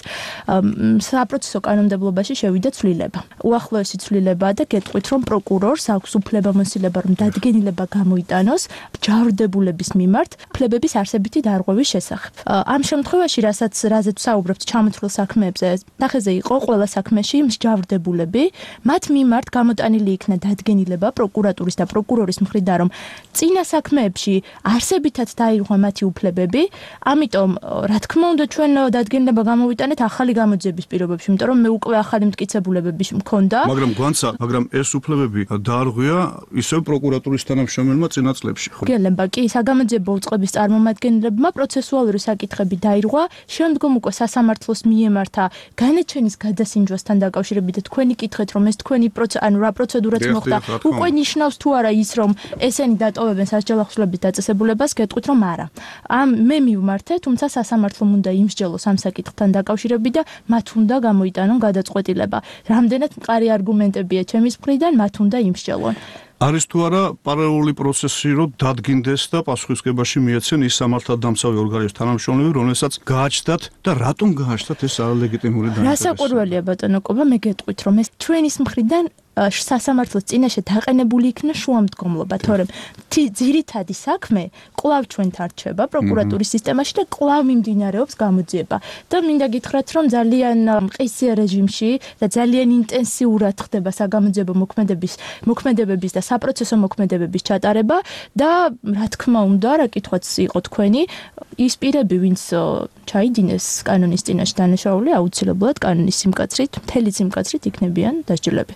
საპროცესო კანონმდებლობაში შევიდა ცვლილება. უახლოესი ცვლილება და გეტყვით, რომ პროკურორს აქვს უფლებამოსილება, რომ დადგენილება გამოიტანოს ჯავრდებულების მიმართ უფლებების არსებითი დარღვევის შესახებ. ამ შემთხვევაში, რასაც რაზეც საუბრობთ ჩამოთვლილ საქმეებზე, სახეზე იყო ყველა საქმეში მსჯავრდებულები, მათ მიმართ გამოტანილი იქნა დადგენილება პროკურატურის და პროკურორის მხრიდან, რომ წინა საქმეებში არსებითად დაირღვა მათი უფლებები, ამიტომ რა თქმა უნდა ჩვენ დადგენილება გამოვიტანეთ ახალი გამოძიების პირობებში, იმიტომ რომ მე უკვე ახალი მტკიცებულებები მქონდა. მაგრამ გვანცა, მაგრამ ეს უფლებები დაარღვია ისევ პროკურატურის თანამშრომელმა წინა წლებში. გელება კი საგამოძიებო უწყების წარმომადგენლებმა პროცესუალური საკითხები დაირღვა, შემდგომ უკვე სასამართლოს მიემართა განაჩენის გადასინჯვასთან დაკავშირებით და თქვენი კითხეთ, რომ ეს თქვენი ანუ რა პროცედურაც მოხდა, უკვე ნიშნავს თუ არა ის, რომ ესენი დატოვებენ სასჯელახსრულების დაწესებულებას, გეტყვით, რომ არა. ამ მე მივმართე, თუმცა სასამართლომ უნდა იმსჯელოს ამ საკითხთან დაკავშირებით და მათ უნდა გამოიტანონ გადაწყვეტილება. რამდენად მყარი არგუმენტებია ჩემის მხრიდან, მათ უნდა იმსჯელონ. არის თუ არა პარალელური პროცესი, რომ დადგინდეს და პასუხისმგებაში მიეცენ ის სამართალდამცავი ორგანოს თანამშრომლები, რომელსაც გააჩნდათ და რატომ გააჩნდათ ეს არალეგიტიმური დაინტერესება. რასაკვირველია ბატონო კობა, მე გეტყვით, რომ ეს ჩვენის მხრიდან სასამართლოს წინაშე დაყენებული იქნა შუამდგომლობა, თორემ ძირითადი საქმე კვლავ ჩვენთან რჩება პროკურატურის სისტემაში და კვლავ მიმდინარეობს გამოძიება. და მინდა გითხრათ, რომ ძალიან მყისიერ რეჟიმში და ძალიან ინტენსიურად ხდება საგამოძიებო მოქმედების მოქმედებების და საპროცესო მოქმედებების ჩატარება და რა თქმა უნდა, რა კითხვაც იყო თქვენი, ის პირები, ვინც ჩაიდინეს კანონის წინაშე დანაშაული, აუცილებლად კანონის სიმკაცრით, მთელი სიმკაცრით იქნებიან დასჯილები.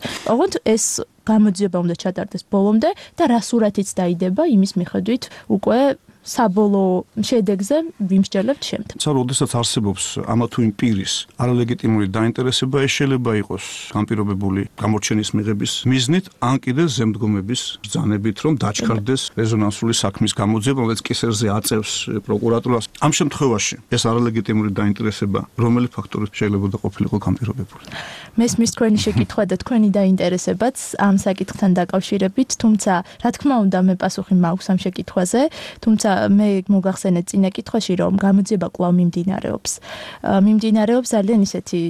ოღონდ ეს გამოძიება უნდა ჩატარდეს ბოლომდე და რა სურათიც დაიდება იმის მიხედვით უკვე საბოლოო შედეგზე ვიმსჯელებთ შემდეგ. ცა როდესაც არსებობს ამა თუ იმ პირის არალეგიტიმური დაინტერესება, ეს შეიძლება იყოს განპირობებული გამორჩენის მიღების მიზნით, ან კიდე ზემდგომების ბრძანებით, რომ დაჩქარდეს რეზონანსული საქმის გამოძიება, რომელიც კისერზე აწევს პროკურატურას. ამ შემთხვევაში ეს არალეგიტიმური დაინტერესება რომელი ფაქტორით შეიძლება ყოფილიყო განპირობებული? მესმის თქვენი შეკითხვა და თქვენი დაინტერესებაც ამ საკითხთან დაკავშირებით, თუმცა რა თქმა უნდა მე პასუხი მაქვს ამ შეკითხვაზე, თუმცა მე მოგახსენეთ წინა კითხვაში, რომ გამოძიება კვლავ მიმდინარეობს. მიმდინარეობს ძალიან ისეთი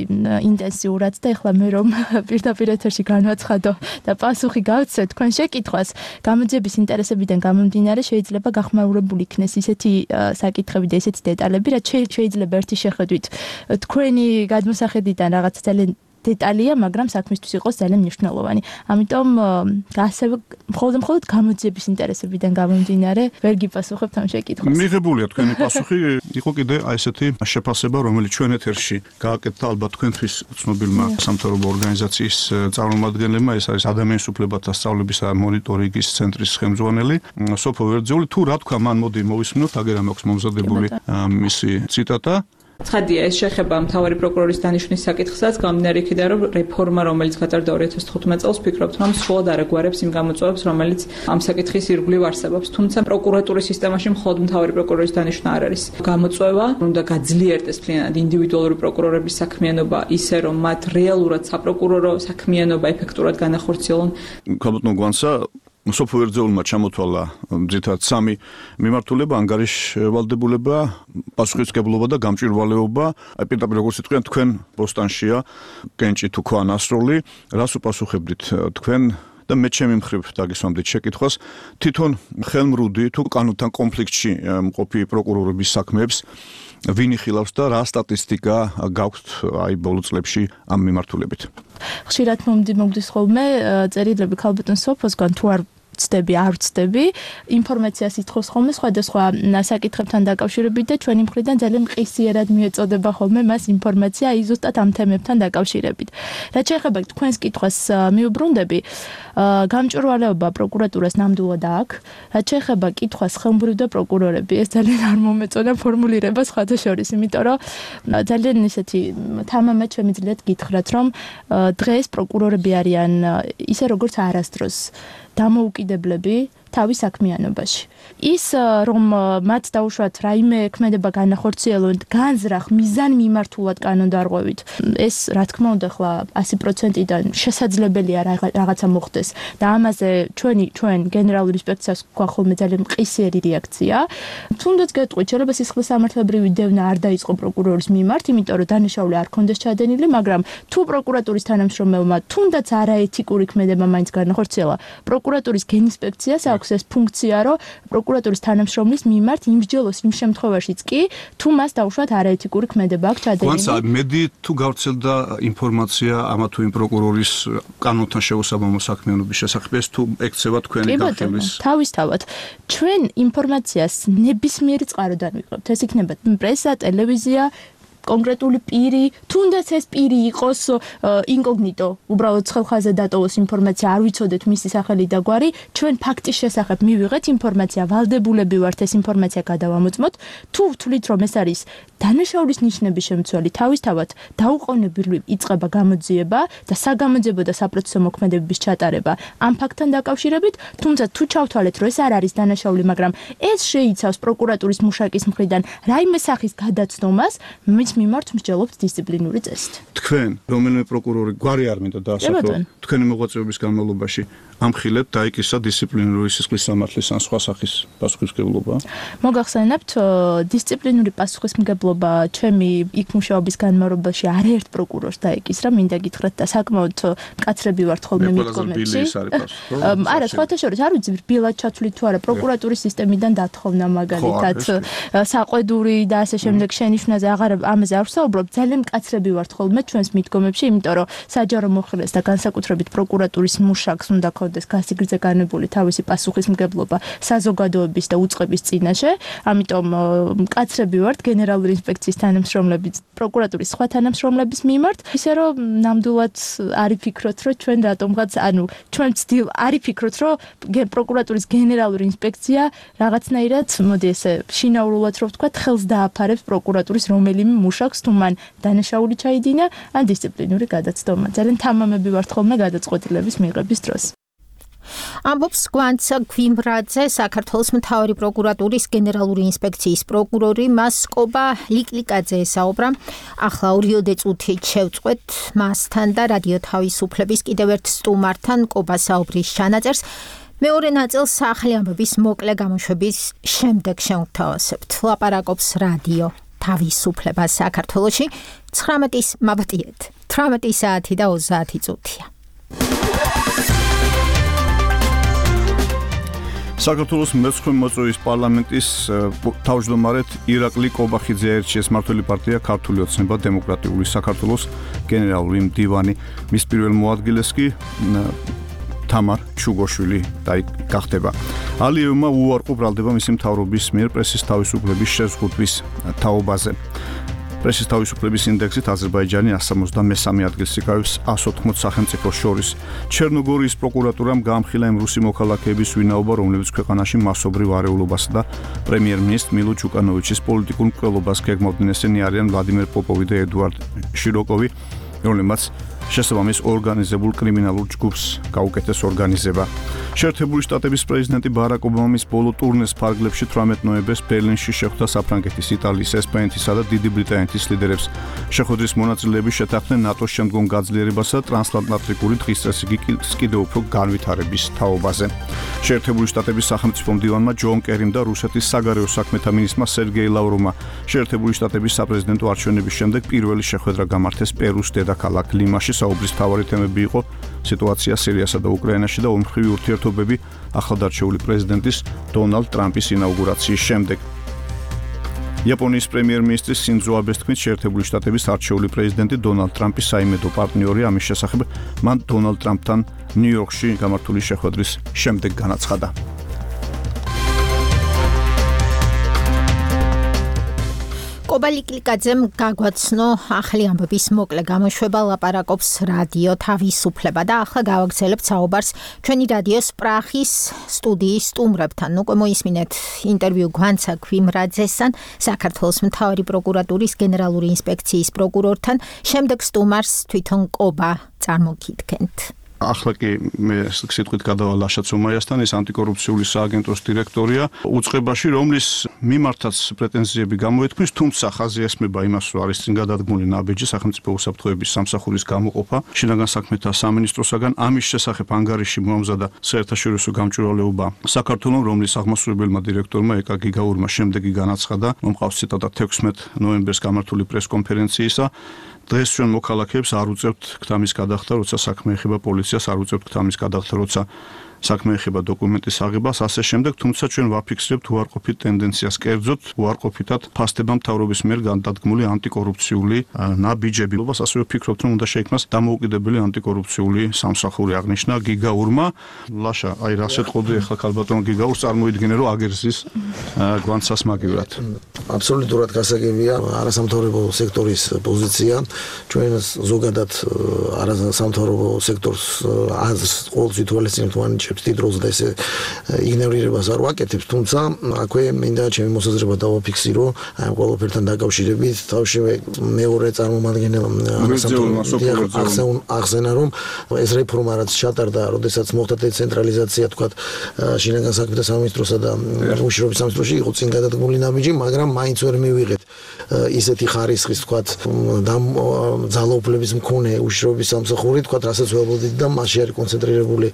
ინტენსიურად და ეხლა მე რომ პირდაპირ ეთერში განვაცხადო და პასუხი გავცე თქვენ შეკითხვას, გამოძიების ინტერესებიდან გამომდინარე შეიძლება გახმაურებული იქნეს ისეთი საკითხები და ისეთი დეტალები, რაც შეიძლება ერთი შეხედვით თქვენი გადმოსახედიდან რაღაც ძალიან დეტალია, მაგრამ საქმისთვის იყოს ძალიან მნიშვნელოვანი. ამიტომ ასევე მხოლოდ მხოლოდ გამოძიების ინტერესებიდან გამომდინარე ვერ გიპასუხებთ ამ შეკითხვას. მიღებულია თქვენი პასუხი, იყო კიდე აი ესეთი შეფასება, რომელიც ჩვენ ეთერში გააკეთდა ალბათ თქვენთვის ცნობილმა სამთავრობო ორგანიზაციის წარმომადგენლებმა, ეს არის ადამიანის უფლებათა სწავლების და მონიტორინგის ცენტრის ხელმძღვანელი სოფო ვერძეული. თუ რა თქვა, მან მოდი მოვისმინოთ, აგერა მაქვს მომზადებული მისი ციტატა. ცხადია, ეს შეხება მთავარი პროკურორის დანიშვნის საკითხსაც, გამდინარე იქიდან, რომ რეფორმა, რომელიც გატარდა ორი ათას თხუთმეტ წელს, ვფიქრობთ, რომ სრულად არ აგვარებს იმ გამოწვევებს, რომელიც ამ საკითხის ირგვლივ არსებობს. თუმცა პროკურატურის სისტემაში მხოლოდ მთავარი პროკურორის დანიშვნა არ არის გამოწვევა, უნდა გაძლიერდეს მთლიანად ინდივიდუალური პროკურორების საქმიანობა, ისე რომ მათ რეალურად საპროკურორო საქმიანობა ეფექტურად განახორციელონ. ქალბატონ გვანსა სოფო ვერძეულმა ჩამოთვალა ძირითადად სამი მიმართულება, ანგარიშვალდებულება, პასუხისმგებლობა და გამჭვირვალეობა. აი პირდაპირ როგორც თქვენ, თქვენ ბოსტანშია კენჭი თუ ქვა ნასროლი, რას უპასუხებდით თქვენ და მე ჩემი მხრივ დაგისვამდით შეკითხვას, თვითონ ხელმრუდი თუ კანონთან კონფლიქტში მყოფი პროკურორების საქმეებს ვინ იხილავს და რა სტატისტიკა გაქვთ აი ბოლო წლებში ამ მიმართულებით? ხშირად მომდის ხოლმე წერილები ქალბატონ სოფოსგან, თუ არ ვცდები, არ ვცდები, ინფორმაციას ითხოვს ხოლმე სხვადასხვა საკითხებთან დაკავშირებით და ჩვენი მხრიდან ძალიან მყისიერად მიეწოდება ხოლმე მას ინფორმაცია აი ზუსტად ამ თემებთან დაკავშირებით. რაც შეეხება თქვენს კითხვას მიუბრუნდები, გამჭვირვალეობა პროკურატურას ნამდვილად აქვს. რაც შეეხება კითხვას ხელმბრივ და პროკურორები, ეს ძალიან არ მომეწონა ფორმულირება სხვათა შორის, იმიტომ რომ ძალიან ისეთი თამამად შემიძლიათ გითხრათ, რომ დღეს პროკურორები არიან ისე როგორც არასდროს დამოუკიდებლები თავის საქმიანობაში. ის რომ მათ დაუშვათ რაიმე ქმედება განახორციელონ განზრახ მიზან მიმართულად კანონდარღვევით, ეს რა თქმა უნდა ხლა ასი პროცენტიდან შესაძლებელია რაღაცა მოხდეს და ამაზე ჩვენი ჩვენ გენერალური ინსპექციას გვაქვს ხოლმე ძალიან მყისიერი რეაქცია. თუნდაც გეტყვით, შეიძლება სისხლის სამართლებრივი დევნა არ დაიწყო პროკურორის მიმართ, იმიტომ რომ დანაშაული არ ქონდეს ჩადენილი, მაგრამ თუ პროკურატურის თანამშრომელმა თუნდაც არაეთიკური ქმედება მაინც განახორციელა, პროკურატურის გენინსპექციას აქვს ეს ფუნქცია, რომ პროკურატურის თანამშრომლის მიმართ იმსჯელოს იმ შემთხვევაშიც კი, თუ მას დაუშვათ არაეთიკური ქმედება აქვს ჩადენილი. გვანსა მედი თუ გავრცელდა ინფორმაცია ამა თუ იმ პროკურორის კანონთან შეუსაბამო საქმიანობის შესახებ, ეს თუ ეკცევა თქვენი გახილვის? თავისთავად, ჩვენ ინფორმაციას ნებისმიერი წყაროდან ვიღებთ. ეს იქნება პრესა, ტელევიზია, კონკრეტული პირი, თუნდაც ეს პირი იყოს ინკოგნიტო, უბრალოდ ხელხაზე დატოვოს ინფორმაცია, არ ვიცოდეთ მისი სახელი და გვარი, ჩვენ ფაქტის შესახებ მივიღეთ ინფორმაცია, ვალდებულები ვართ ეს ინფორმაცია გადავამოწმოთ. თუ ვთვლით, რომ ეს არის დანაშაულის ნიშნების შემცველი, თავისთავად დაუყოვნებლივ იწყება გამოძიება და საგამოძიებო და საპროცესო მოქმედებების ჩატარება ამ ფაქტთან დაკავშირებით, თუმცა თუ ჩავთვალეთ, რომ ეს არ არის დანაშაული, მაგრამ ეს შეიცავს პროკურატურის მუშაკის მხრიდან რაიმე სახის გადაცნობას, მის მიმართ მსჯელობთ დისციპლინური წესით. თქვენ, რომელიმე პროკურორი გვარი არ მინდა დაასახელო, თქვენი მოღვაწეობის განმავლობაში ამხილეთ დაიკისა დისციპლინური სისხლის სამართლის ან სხვა სახის პასუხისმგებლობა? მოგახსენებთ, დისციპლინური პასუხისმგებლობა ჩემი იქ მუშაობის განმავლობაში არაერთ პროკურორს დაეკისრა, მინდა გითხრათ და საკმაოდ მკაცრები ვართ ხოლმე მიდგომებში. არა, სხვათა შორის არ ვიცი რბილად ჩათვლით თუ არა, პროკურატურის სისტემიდან დათხოვნა მაგალითად, საყვედური და ასე შემდეგ შენიშვნაზე აღარ ამაზე არ ვსაუბრობ, ძალიან მკაცრები ვართ ხოლმე ჩვენს მიდგომებში, იმიტომ რომ საჯარო მოხელეს და განსაკუთრებით პროკურატურის მუშაკს უნდა იქნებოდეს გასიგრძე განებული თავისი პასუხისმგებლობა საზოგადოების და უწყების წინაშე. ამიტომ მკაცრები ვართ გენერალური ინსპექციის თანამშრომლების, პროკურატურის სხვა თანამშრომლების მიმართ, ისე რომ ნამდვილად არ იფიქროთ, რომ ჩვენ რატომღაც, ანუ ჩვენ ვცდილ არ იფიქროთ, რომ პროკურატურის გენერალური ინსპექცია რაღაცნაირად, მოდი ესე შინაურულად რო ვთქვა, ხელს დააფარებს პროკურატურის რომელიმე მუშაკს, თუ მან დანაშაული ჩაიდინა, ან დისციპლინური გადაცდომა. ძალიან თამამები ვართ ხოლმე გადაწყვეტილების მიღების დროს. ამბობს გვანცა გვიმრაძე, საქართველოს მთავარი პროკურატურის გენერალური ინსპექციის პროკურორი, მას კობა ლიკლიკაძე ესაუბრა. ახლა ორიოდე წუთით შევწყვეთ მასთან და რადიო თავისუფლების კიდევ ერთ სტუმართან კობა საუბრის ჩანაწერს. მეორე ნაწილს ახალი ამბების მოკლე გამოშვების შემდეგ შევთავაზებთ. ლაპარაკობს რადიო თავისუფლება საქართველოში ცხრამეტის მაბატიეთ. თვრამეტი საათი და ოცდაათი წუთია. საქართველოს მეცხრე მოწვევის პარლამენტის თავმჯდომარედ ირაკლი კობახიძე აირჩიეს მმართველი პარტია ქართული ოცნება დემოკრატიული საქართველოს გენერალური მდივანი. მის პირველ მოადგილეს კი თამარ ჩუგოშვილი გახდება. ალიევმა უარყო ბრალდება მისი მთავრობის მიერ პრესის თავისუფლების შეზღუდვის თაობაზე. პრესის თავისუფლების ინდექსით აზერბაიჯანი one seventy-three ადგილს იკავებს one eighty სახელმწიფოს შორის. ჩერნოგორიის პროკურატურამ გაამხილა იმ რუსი მოქალაქეების ვინაობა, რომლებიც ქვეყანაში მასობრივ არეულობასა და პრემიერ-მინისტრ მილო ჯუკანოვიჩის პოლიტიკურ მკვლელობას გეგმავდნენ. ესენი არიან ვლადიმერ პოპოვი და ედუარდ შიროკოვი, რომლებმაც შესაბამის ორგანიზებულ კრიმინალურ ჯგუფს გაუკეთეს ორგანიზება. შეერთებული შტატების პრეზიდენტი ბარაკ ობამის ბოლო ტურნეს ფარგლებში თვრამეტ ნოემბერს ბერლინში შეხვდა საფრანგეთის, იტალიის, ესპანეთისა და დიდი ბრიტანეთის ლიდერებს. შეხვედრის მონაწილეები შეთანხმდნენ ნატოს შემდგომ გაძლიერებასა და ტრანსატლანტიკური დღის წესრიგის კიდევ უფრო განვითარების თაობაზე. შეერთებული შტატების სახელმწიფო მდივანმა ჯონ კერიმ და რუსეთის საგარეო საქმეთა მინისტრმა სერგეი ლავროვმა შეერთებული შტატების საპრეზიდენტო არჩევნების შემდეგ პირველი შეხვედრა გამართეს პერუს დედაქალაქ ლიმაში. საუბრის მთავარი თემები იყო სიტუაცია სირიასა და უკრაინაში და ომხრივი ურთიერთობები ახლადარჩეული პრეზიდენტის დონალდ ტრამპის ინაუგურაციის შემდეგ. იაპონიის პრემიერ-მინისტრის სინძო აბეს თქმით, შეერთებული შტატების არჩეული პრეზიდენტი დონალდ ტრამპის საიმედო პარტნიორი, ამის შესახებ მან დონალდ ტრამპთან ნიუ-იორკში გამართული შეხვედრის შემდეგ განაცხადა. კობა ლიკლიკაძემ გაგვაცნო ახალი ამბების მოკლე გამოშვება, ლაპარაკობს რადიო თავისუფლება და ახლა გავაგრძელებთ საუბარს ჩვენი რადიოს პრახის სტუდიის სტუმრებთან. უკვე მოისმინეთ ინტერვიუ გვანცა გვიმრაძესთან, საქართველოს მთავარი პროკურატურის გენერალური ინსპექციის პროკურორთან. შემდეგ სტუმარს თვითონ კობა წარმოგიდგენთ. ახლა კი მე სიტყვით გადავალ ლაშა ცუმაიასთან, ის ანტიკორუფციული სააგენტოს დირექტორია, უწყებაში, რომლის მიმართაც პრეტენზიები გამოეთქმის, თუმცა ხაზი ესმება იმას, რომ არის წინ გადადგმული ნაბიჯი სახელმწიფო უსაფრთხოების სამსახურის გამოყოფა შინაგან საქმეთა სამინისტროსაგან. ამის შესახებ ანგარიში მოამზადა საერთაშორისო გამჭვირვალეობა საქართველოს, რომლის აღმასრულებელმა დირექტორმა ეკა გიგაურმა შემდეგი განაცხადა, რომ მყავს ციტატა თექვსმეტ ნოემბერს გამართული პრესკონფერენციისა. დღეს ჩვენ მოქალაქეებს არ უწევთ ქთამის გადახდა, როცა საქმე ეხება პოლიციას, არ უწევთ ქთამის გადახდა, როცა საქმე ეხება დოკუმენტის აღებას, ასე შემდეგ, თუმცა ჩვენ ვაფიქსირებთ უარყოფით ტენდენციას, კერძოდ უარყოფითად ფასდება მთავრობის მიერ გადადგმული ანტიკორუფციული ნაბიჯები. ასევე ვფიქრობთ, რომ უნდა შეიქმნას დამოუკიდებელი ანტიკორუფციული სამსახური, აღნიშნა გიგაურმა. ლაშა, აი რა შეტყობდი ახლა ქალბატონ გიგაურს, წარმოიდგინე, რომ აგერზის გვანცას მაგივრად. აბსოლუტურად გასაგებია არასამთავრობო სექტორის პოზიცია. ჩვენ ზოგადად არასამთავრობო სექტორს აზრს ყოველთვის ითვალისწინებთ მანჩ დიდ როლს და ესე იგნორირებას არ ვაკეთებ, თუმცა აქვე მინდა ჩემი მოსაზრება დავაფიქსირო ამ ყველაფერთან დაკავშირებით. თავშევე მეორე წარმომადგენელ ახსენა, რომ ეს რეფორმა რაც ჩატარდა, როდესაც მოხდა დეცენტრალიზაცია, თქვათ შინაგან საქმეთა სამინისტროსა და უშიშროების სამინისტროში იყო წინ გადადგმული ნაბიჯი, მაგრამ მაინც ვერ მივიღეთ ისეთი ხარისხის, თქვათ ძალაუფლების მქონე უშიშროების სამსახური, თქვათ რასაც ველოდით და მასში არის კონცენტრირებული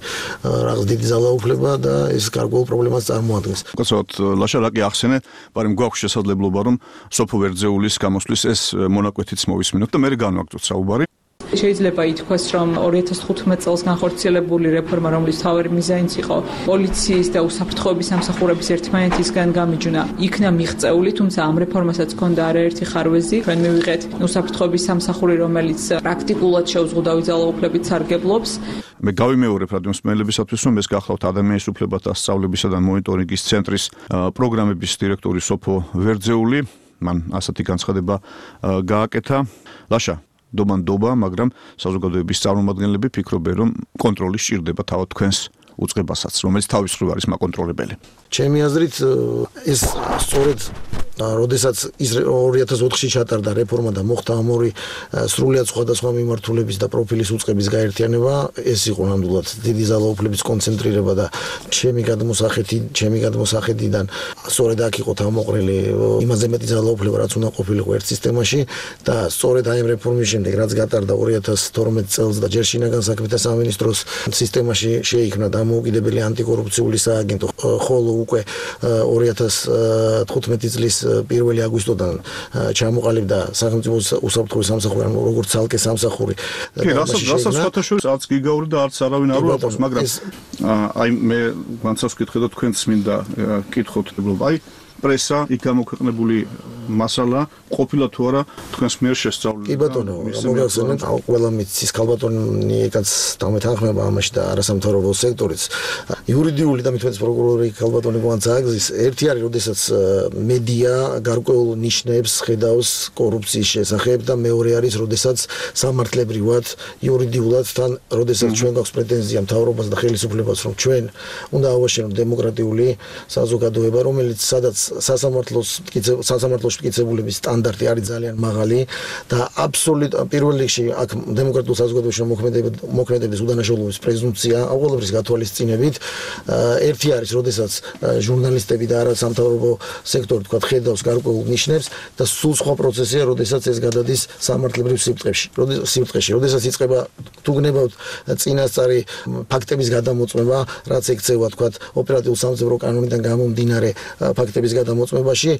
რაღაც დიდი ძალაუფლება და ეს გარკვეულ პრობლემას წარმოადგენს. კაცოთ, ლაშა რაკი ახსენე, მაგრამ გვაქვს შესაძლებლობა რომ სოფო ვერძეულის გამოსვლის ეს მონაკვეთიც მოვისმინოთ და მე განვაგრძოთ საუბარი. შეიძლება ითქვას, რომ ორი ათას თხუთმეტ წელს განხორციელებული რეფორმა, რომლის მთავარი მიზანიც იყო პოლიციის და უსაფრთხოების სამსახურების ერთმანეთისგან გამიჯვნა, იქნა მიღწეული, თუმცა ამ რეფორმასაც ჰქონდა არაერთი ხარვეზი. ჩვენ მივიღეთ უსაფრთხოების სამსახური, რომელიც პრაქტიკულად შეუზღუდავი ძალაუფლებით სარგებლობს. მე გავიმეორებ რადიო მსმენელებისათვის, რომ ეს გახლავთ ადამიანის უფლებათა სწავლებისა და მონიტორინგის ცენტრის პროგრამების დირექტორი სოფო ვერძეული. მან ასეთი განცხადება გააკეთა. ლაშა დობანდობა, მაგრამ საზოგადოების წარმომადგენლები ფიქრობენ, რომ კონტროლი სჭირდება თავად თქვენს უწყებასაც, რომელიც თავის მხრივ არის მაკონტროლებელი. ჩემი აზრით ეს სწორედ როდესაც ის ორი ათას ოთხში ჩატარდა რეფორმა და მოხდა ამ ორი სრულიად სხვადასხვა მიმართულების და პროფილის უწყების გაერთიანება, ეს იყო ნამდვილად დიდი ძალაუფლების კონცენტრირება და ჩემი გადმოსახედი, ჩემი გადმოსახედიდან სწორედ აქ იყო თავმოყრილი იმაზე მეტი ძალაუფლება, რაც უნდა ყოფილიყო ერთ სისტემაში და სწორედ აი ამ რეფორმის შემდეგ, რაც გატარდა ორი ათას თორმეტ წელს და ჯერ შინაგან საქმეთა სამინისტროს სისტემაში შეიქმნა დამოუკიდებელი ანტიკორუფციული სააგენტო, ხოლო უკვე ორი ათას თხუთმეტი წლის პირველი აგვისტოდან ჩამოყალიბდა სახელმწიფო უსაფრთხოების სამსახური, ანუ როგორც ცალკე სამსახური. კი, რასაც რასაც სხვათაშორის არც გიგაური და არც არავინ არ უარყოფს, მაგრამ აი მე განცავს ვკითხე და თქვენც მინდა კითხოთ, აი პრესა იქ გამოქვეყნებული მასალა ყოფილა თუ არა თქვენს მიერ შესწავლილი. კი ბატონო, მოგახსენებთ, ყველა მიცის ქალბატონი ეკაც დამეთანხმება ამაში და არასამთავრობო სექტორიც. იურიდიული და მithmetes პროკურორი ქალბატონი გვანცაგზის ერთი არის, როდესაც მედია გარკვეულ ნიშნებს ხედავს კორუფციის შესახებ და მეორე არის, როდესაც სამართლებრივად, იურიდიულად თან, როდესაც ჩვენ გვაქვს პრეტენზია მთავრობას და ხელისუფლებას, რომ ჩვენ უნდა ავაშენოთ დემოკრატიული საზოგადოება, რომელიც სადაც სასამართლოს სასამართლოში მტკიცებულების სტანდარტი არის ძალიან მაღალი და აბსოლუტურად პირველ რიგში აქ დემოკრატიულ საზოგადოებაში მოქმედების უდანაშაულობის პრეზუმპცია ყოველთვის გათვალისწინებით ერთი არის, როდესაც ჟურნალისტები და არასამთავრობო სექტორი თქვა ხედავს გარკვეულ ნიშნებს და სულ სხვა პროცესია, როდესაც ეს გადადის სამართლებრივ სიბრტყეში. სიბრტყეში, როდესაც იწყება თუ გნებავთ წინასწარი ფაქტების გადამოწმება, რაც ექცევა თქვა ოპერატიულ სამხედრო კანონიდან გამომდინარე ფაქტების გადამოწმებაში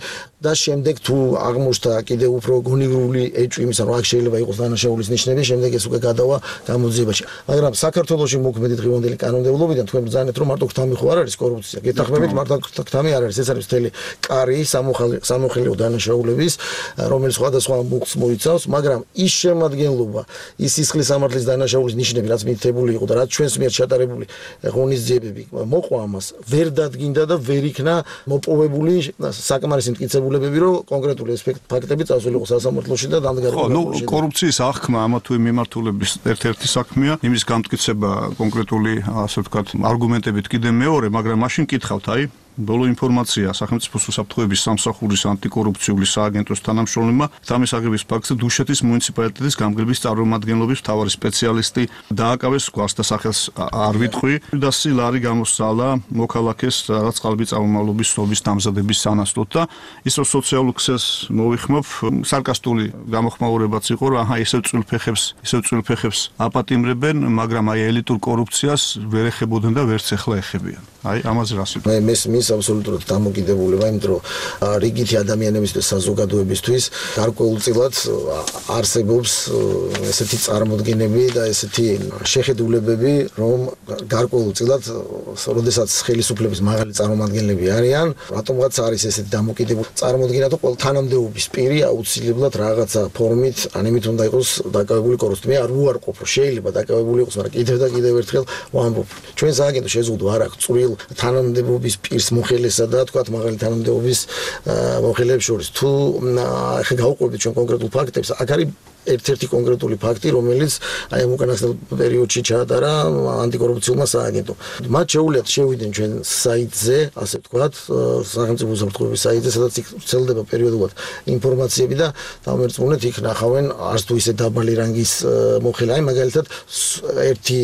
და შემდეგ თუ აღმოჩნდა კიდევ უფრო გონივრული ეჭვი იმისა, რომ აქ შეიძლება იყოს დანაშაულის ნიშნები, შემდეგ ეს უკვე გადავა გამოძიებაში. მაგრამ საქართველოში მოქმედი დღევანდელი კანონმდებლობიდან თქვენ ბრძანეთ, რომ მარტო ქთამი ხო არ არის კორუფცია. გეთანხმებით, მარტო ქთამი არ არის, ეს არის მთელი კარი სამოხელეო დანაშაულების, რომელიც სხვადასხვა მუხტს მოიცავს, მაგრამ ის შემადგენლობა, ის სისხლის სამართლის დანაშაულის ნიშნები, რაც მითითებული იყო და რაც ჩვენს მიერ ჩატარებული ღონისძიებები მოყვა ამას, ვერ დადგინდა და ვერ იქნა მოპოვებული საკმარისი მტკიცებულებები, რომ კონკრეტული ეს ფაქტები წასულიყო სასამართლოში და დამდგარიყო. ხო, ნუ კორუფციის აღქმა ამა თუ იმ მიმართულების ერთ-ერთი საქმეა, იმის გამტკიცება კონკრეტული, ასე ვთქვათ, არგუმენტებით კიდე მეორე, მაგრამ მაშინ კითხავთ, აი ბოლო ინფორმაცია სახელმწიფო უსაფრთხოების სამსახურის ანტიკორუფციული სააგენტოს თანამშრომლებმა თამის აგების ფაქტზე დუშეთის მუნიციპალიტეტის გამგებლების წარმომადგენლობის მთავარი სპეციალისტი დააკავეს გვარს და სახელს არ ვიტყვი და სილარი გამოსცალა მოქალაქეს რაც ყალბი წარმომავლობის სობის დამზადების სანაცვლოდ და ის რომ სოციალურ ქსელს მოვიხმობ სარკასტული გამოხმაურებაც იყო რომ აჰა ისევ წვილფეხებს ისევ წვილფეხებს აპატიმრებენ მაგრამ აი ელიტურ კორუფციას ვერ ეხებოდნენ და ვერც ახლა ეხებიან აი ამაზე რას ვიტყვი მე აბსოლუტურად დამოკიდებულება, იმიტომ რომ რიგითი ადამიანებისთვის საზოგადოებისთვის გარკვეულწილად არსებობს ესეთი წარმოდგენები და ესეთი შეხედულებები, რომ გარკვეულწილად, როდესაც ხელისუფლების მაღალი წარმომადგენლები არიან, რატომღაც არის ესეთი დამოკიდებული წარმოდგენა, თუ ყველა თანამდებობის პირი აუცილებლად რაღაცა ფორმით, ან იმით უნდა იყოს დაკავებული კორუფციით. მე არ უარყოფ, რომ შეიძლება დაკავებული იყოს, მაგრამ კიდევ და კიდევ ერთხელ ვამბობ, ჩვენ სააგენტო შეზღუდვა არ აქვს წვრილ თანამდებობის პირს მოხელესა და თქვათ მაღალი თანამდებობის მოხელეებს შორის. თუ ახლა გავუყვებით ჩვენ კონკრეტულ ფაქტებს, აქ არის ერთ-ერთი კონკრეტული ფაქტი, რომელიც აი ამ უკანასკნელ პერიოდში ჩაატარა ანტიკორუფციულმა სააგენტომ. მათ შეუძლიათ შევიდნენ ჩვენ საიტზე, ასე ვთქვათ, სახელმწიფო უსაფრთხოების საიტზე, სადაც ვრცელდება პერიოდულად ინფორმაციები და დამერწმუნეთ იქ ნახავენ არც თუ ისე დაბალი რანგის მოხელე. აი მაგალითად ერთი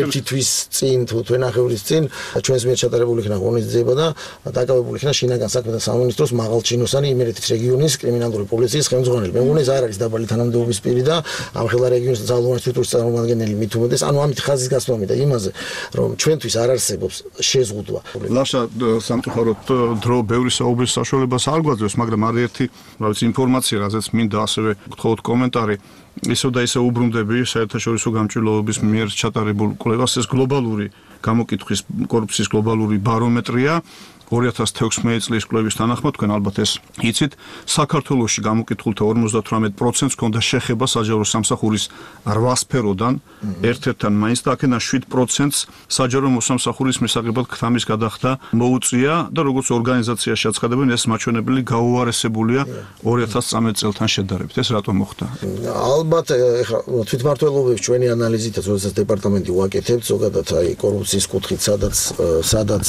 ერთი თვის წინ თუ თვენახევრის წინ ჩვენს მიერ ჩატარებული იქნა ღონისძიება და დაკავებული იქნა შინაგან საქმეთა სამინისტროს მაღალჩინოსანი იმერეთის რეგიონის კრიმინალური პოლიციის ხელმძღვანელი. მე მგონი ეს არ არის დაბალი თანამდებობის პირი და ამ ხელა რეგიონის ძალოვანი სტრუქტურის წარმომადგენელი მით უმეტეს, ანუ ამით ხაზის გასვლა მინდა იმაზე, რომ ჩვენთვის არ არსებობს შეზღუდვა. ლაშა სამწუხაროდ დრო ბევრი საუბრის საშუალებას არ გვაძლევს, მაგრამ არის ერთი, რა ვიცი, ინფორმაცია, რაზეც მინდა ასევე გთხოვოთ კომენტარი. ისევ და ისევ უბრუნდები საერთაშორისო გამჭვირვალობის მიერ ჩატარებულ კვლევას, ეს გლობალური გამოკითხვის კორუფციის გლობალური ბარომეტრია ორი ათას თექვსმეტი წლის კვლევის თანახმად, თქვენ ალბათ ეს იცით, საქართველოში გამოკითხულთა ორმოცდათვრამეტ პროცენტს ჰქონდა შეხება საჯარო სამსახურის რვა სფეროდან ერთ-ერთთან მაინც და აქედან შვიდ პროცენტს საჯარო მოსამსახურის მისაღებად ქთამის გადახდა მოუწია და როგორც ორგანიზაციაში აცხადებენ, ეს მაჩვენებელი გაუარესებულია ორი ათას წამეტ წელთან შედარებით. ეს რატომ მოხდა? ალბათ ეხლა თვითმმართველობების ჩვენი ანალიზითაც, როდესაც დეპარტამენტი უაკეთებთ, ზოგადად აი კორუფციის კუთხით, სადაც სადაც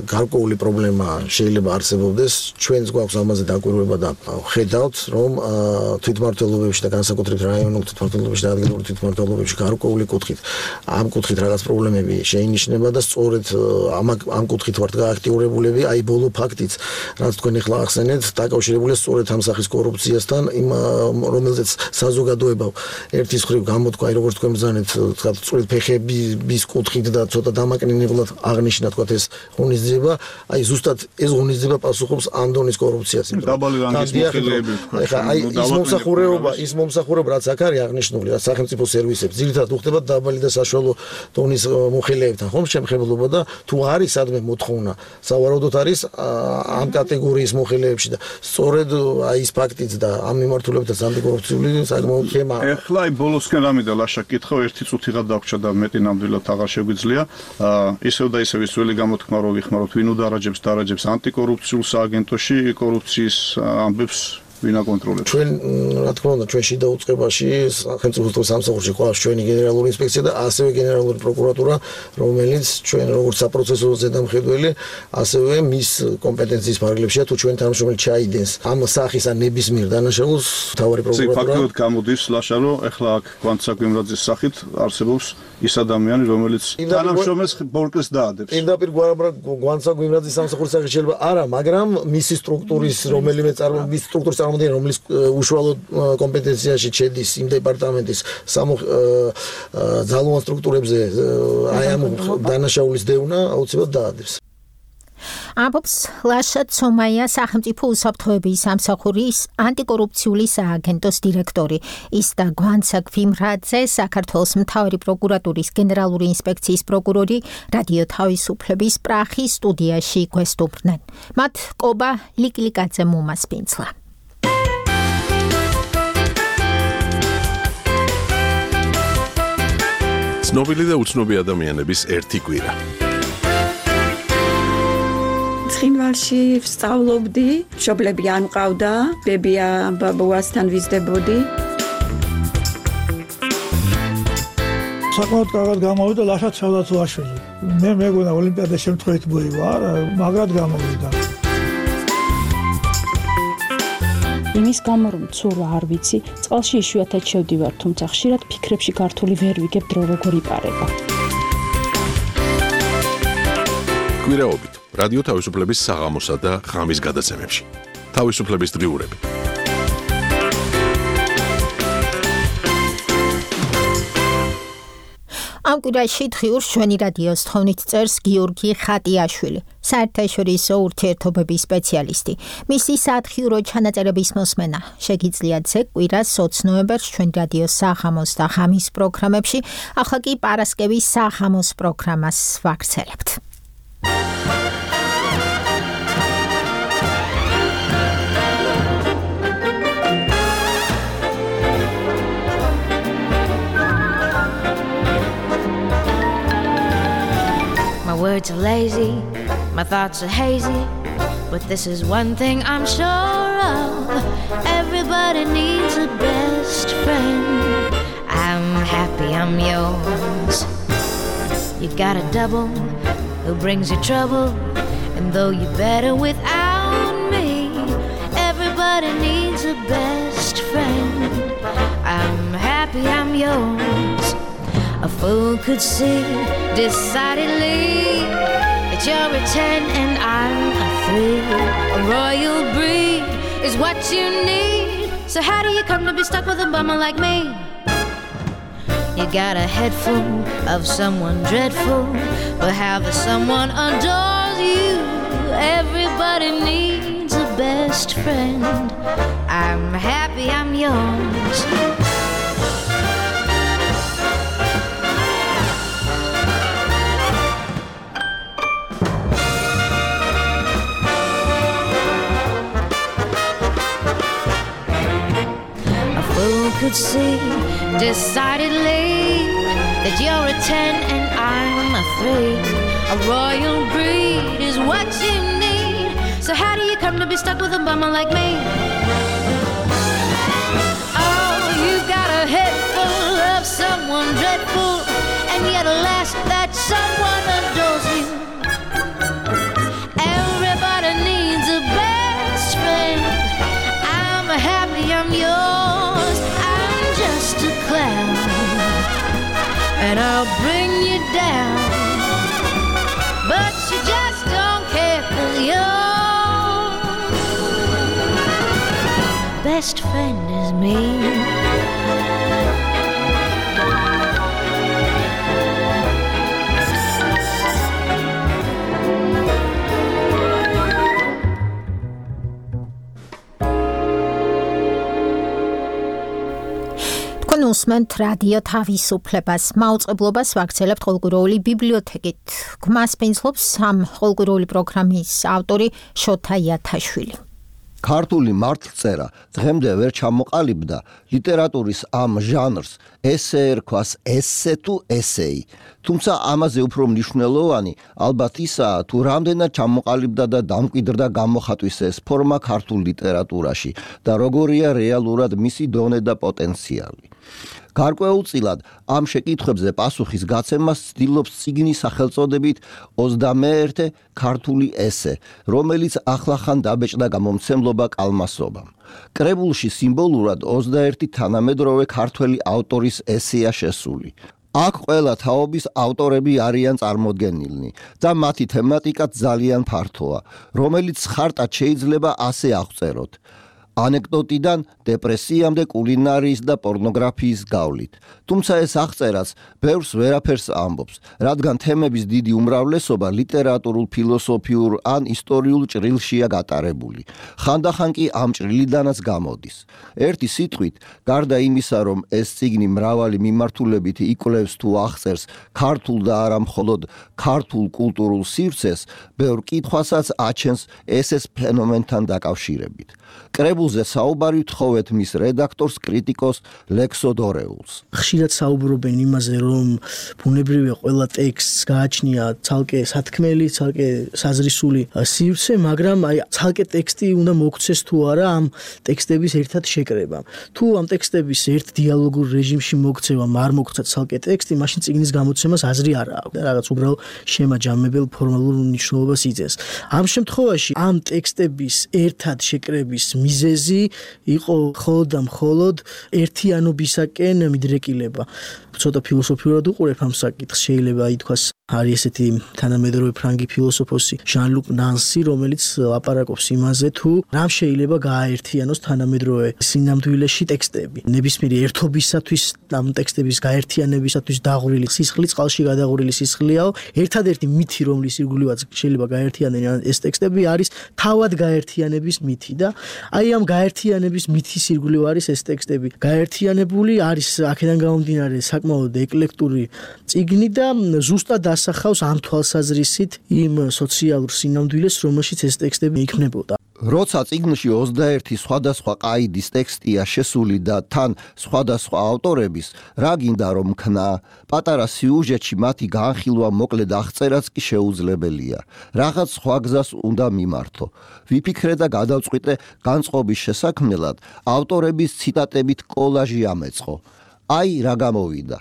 გარკვეული პრობლემა შეიძლება არსებობდეს, ჩვენს გვაქვს ამაზე დაკვირვება და ხედავთ, რომ თვითმმართველობებში და განსაკუთრებით რაიონულ თვითმმართველობებში და ადგილობრივ თვითმმართველობებში გარკვეული კუთხით ამ კუთხით რაღაც პრობლემები შეინიშნება და სწორედ ამ ამ კუთხით ვართ გააქტიურებულები, აი ბოლო ფაქტიც, რაც თქვენ ახლა ახსენეთ, დაკავშირებულია სწორედ ამ სახის კორუფციასთან, იმ რომელზეც საზოგადოება ერთის მხრივ გამოთქვა, აი როგორც თქვენ ბრძანეთ, თქვა სწორედ ფეხების კუთხით და ცოტა დამაკნინებლად აღნიშნა თქვა ეს ღონისძიება, აი ზუსტად ეს ღონისძიება პასუხობს ამ დონის კორუფციას. დაბალი რანგის მოხელეები თქვა. ეხლა აი ის მომსახურება, ის მომსახურება რაც აქ არის აღნიშნული, რაც სახელმწიფო სერვისებს, ძირითადად უხდება დაბალი და საშუალო დონის მოხელეებთან, ხომ შემხებულობა და თუ არის სადმე მოთხოვნა, სავარაუდოდ არის ამ კატეგორიის მოხელეებში და სწორედ აი ის ფაქტიც და ამ მიმართულებითაც ანტიკორუფციული საკმაოდ თემაა. ეხლა აი ბოლოსკენ რამე და ლაშა კითხავ, ერთი წუთიღა დაგვრჩა და მეტი ნამდვილად აღარ შეგვიძლია. ისევ და ისევ ის ძველი გამოთქმა რო ვიხმაროთ, ვინ udaraჯებს დარაჯებს ანტიკორუფციულ სააგენტოში კორუფციის ამბებს ვინ აკონტროლებს? ჩვენ რა თქმა უნდა ჩვენ შიდა უწყებაში სახელმწიფო სამსახურში ყავს ჩვენი გენერალური ინსპექცია და ასევე გენერალური პროკურატურა, რომელიც ჩვენ როგორც საპროცესო ზედამხედველი, ასევე მის კომპეტენციის ფარგლებშია თუ ჩვენ თანამშრომელი ჩაიდენს ამ სახის ან ნებისმიერ დანაშაულს მთავარი პროკურატურა. ფაქტობრივად გამოდის ლაშა, რომ ეხლა აქ კვანცა გვიმრაძის სახით არსებობს ის ადამიანი, რომელიც თანამშრომელს ბორკეს დაადებს. პირდაპირ კვანცა გვიმრაძის სამსახურის სახით შეიძლება არა, მაგრამ მისი სტრუქტურის რომელიმე წარმო მის სტრუქტურის წარმოდგენა, რომლის უშუალოდ კომპეტენციაში შედის იმ დეპარტამენტის ძალოვან სტრუქტურებზე აი ამ დანაშაულის დევნა აუცილებლად დაადებს. ამბობს ლაშა ცომაია, სახელმწიფო უსაფრთხოების სამსახურის ანტიკორუფციული სააგენტოს დირექტორი. ის და გვანცა გვიმრაძე, საქართველოს მთავარი პროკურატურის გენერალური ინსპექციის პროკურორი, რადიო თავისუფლების პრახის სტუდიაში გვესტუმრნენ. მათ კობა ლიკლიკაძე მომასპინძლა. ცნობილი და უცნობი ადამიანების ერთი კვირა. ცხინვალში ვსწავლობდი, მშობლები არ მყავდა, ბებია ბაბუასთან ვიზრდებოდი. საკმაოდ კარგად გამოვიდა ლაშა ცალდაცვაშვილი. მე მეგონა ოლიმპიადა შემთხვევით მოივა, მაგრად გამოვიდა. იმის გამო რომ ცურვა არ ვიცი, წყალში იშვიათად შევდივარ, თუმცა ხშირად ფიქრებში გართული ვერ ვიგებ დრო როგორ იპარება. კვირაობით რადიო თავისუფლების საღამოსა და ღამის გადაცემებში. თავისუფლების დღიურები. ამ კვირაში დღიურს ჩვენი რადიოს თხოვნით წერს გიორგი ხატიაშვილი, საერთაშორისო ურთიერთობების სპეციალისტი. მისი სათხიურო ჩანაწერების მოსმენა შეგიძლიათ ზეგ კვირას ოცი ნოემბერს ჩვენი რადიოს საღამოს და ღამის პროგრამებში, ახლა კი პარასკევის საღამოს პროგრამას ვაგრძელებთ. My words are lazy, my thoughts are hazy, but this is one thing I'm sure of. Everybody needs a best friend. I'm happy I'm yours. You got a double who brings you trouble, and though you're better without me, everybody needs a best friend. I'm happy I'm yours. A fool could see decidedly that you're a ten and I'm a three. A royal breed is what you need. So how do you come to be stuck with a bummer like me? You got a head full of someone dreadful, but how the someone adores you. Everybody needs a best friend. I'm happy I'm yours. could see decidedly that you're a ten and I'm a three. A royal breed is what you need. So how do you come to be stuck with a bummer like me? Oh, you've got a head full of someone dreadful, and yet alas, that someone adores you. Everybody needs a best friend. I'm happy I'm yours. I'm just a clown, and I'll bring you down. But you just don't care, 'cause your best friend is me. უსმენთ რადიო თავისუფლებას. მაუწყებლობას ვაგრძელებთ ყოველგვაროვანი ბიბლიოთეკით. გვმას პინძლობს ამ ყოველგვაროვანი პროგრამის ავტორი შოთა იათაშვილი. ქართული მართლწერა დღემდე ვერ ჩამოყალიბდა ლიტერატურის ამ ჟანრს ესე ერქვას ესე თუ ესეი. თუმცა ამაზე უფრო მნიშვნელოვანი ალბათ ისაა, თუ რამდენად ჩამოყალიბდა და დამკვიდრდა გამოხატვის ეს ფორმა ქართულ ლიტერატურაში და როგორია რეალურად მისი დონე და პოტენციალი. გარკვეულწილად ამ შეკითხვებზე პასუხის გაცემას ცდილობს წიგნის სახელწოდებით ოცდამეერთე ქართული ესე, რომელიც ახლახან დაბეჭდა გამომცემლობა კალმასობამ. კრებულში სიმბოლურად ოცდაერთი თანამედროვე ქართველი ავტორის ესეა შესული. აქ ყველა თაობის ავტორები არიან წარმოდგენილნი და მათი თემატიკაც ძალიან ფართოა, რომელიც ხარტად შეიძლება ასე აღწეროთ. ანეკდოტიდან დეპრესიამდე კულინარიის და პორნოგრაფიის გავლით. თუმცა ეს აღწერაც ბევრს ვერაფერს ამბობს, რადგან თემების დიდი უმრავლესობა ლიტერატურულ, ფილოსოფიურ ან ისტორიულ ჭრილშია გატარებული. ხანდახან კი ამ ჭრილიდანაც გამოდის. ერთი სიტყვით, გარდა იმისა, რომ ეს წიგნი მრავალი მიმართულებით იკვლევს თუ აღწერს ქართულ და არა მხოლოდ ქართულ კულტურულ სივრცეს, ბევრ კითხვასაც აჩენს ესეს ფენომენთან დაკავშირებით. კრებულზე საუბარი ვთხოვეთ მის რედაქტორს, კრიტიკოს ლექსო დორეულს. ხშირად საუბრობენ იმაზე, რომ ბუნებრივია ყველა ტექსტს გააჩნია ცალკე სათქმელი, ცალკე საზრისული სივრცე, მაგრამ აი ცალკე ტექსტი უნდა მოგვცეს თუ არა ამ ტექსტების ერთად შეკრებამ. თუ ამ ტექსტების ერთ დიალოგურ რეჟიმში მოქცევამ არ მოგვცა ცალკე ტექსტი, მაშინ წიგნის გამოცემას აზრი არ აქვს და რაღაც უბრალოდ შემაჯამებელ ფორმალურ მნიშვნელობას იძლევის. ამ შემთხვევაში ამ ტექსტების ერთად შეკრების მიზეზი იყო მხოლოდ და მხოლოდ ერთიანობისაკენ მიდრეკილება. ცოტა ფილოსოფიურად უყურებ ამ საკითხს, შეიძლება ითქვას არის ესეთი თანამედროვე ფრანგი ფილოსოფოსი ჟან-ლუკ ნანსი, რომელიც ლაპარაკობს იმაზე, თუ რამ შეიძლება გააერთიანოს თანამედროვე სინამდვილეში ტექსტები. ნებისმიერი ერთობისათვის, ამ ტექსტების გაერთიანებისათვის დაღვრილი სისხლი, წყალში გადაღვრილი სისხლიაო, ერთადერთი მითი, რომლის ირგვლივაც შეიძლება გაერთიანენ ეს ტექსტები, არის თავად გაერთიანების მითი და აი ამ გაერთიანების მითის ირგვლივ არის ეს ტექსტები. გაერთიანებული არის აქედან გამომდინარე საკმაოდ ეკლექტური წიგნი და ზუსტად ასახავს ამ თვალსაზრისით იმ სოციალურ სინამდვილეს, რომელშიც ეს ტექსტები იქმნებოდა. როცა წიგნში ოცდაერთი სხვადასხვა ყაიდის ტექსტია შესული და თან სხვადასხვა ავტორების, რა გინდა რომ ქნა, პატარა სიუჟეტში მათი განხილვა მოკლედ აღწერაც კი შეუძლებელია. რაღაც სხვა გზას უნდა მიმართო. ვიფიქრე და გადავწყვიტე განწყობის შესაქმნელად ავტორების ციტატებით კოლაჟი ამეწყო. აი რა გამოვიდა.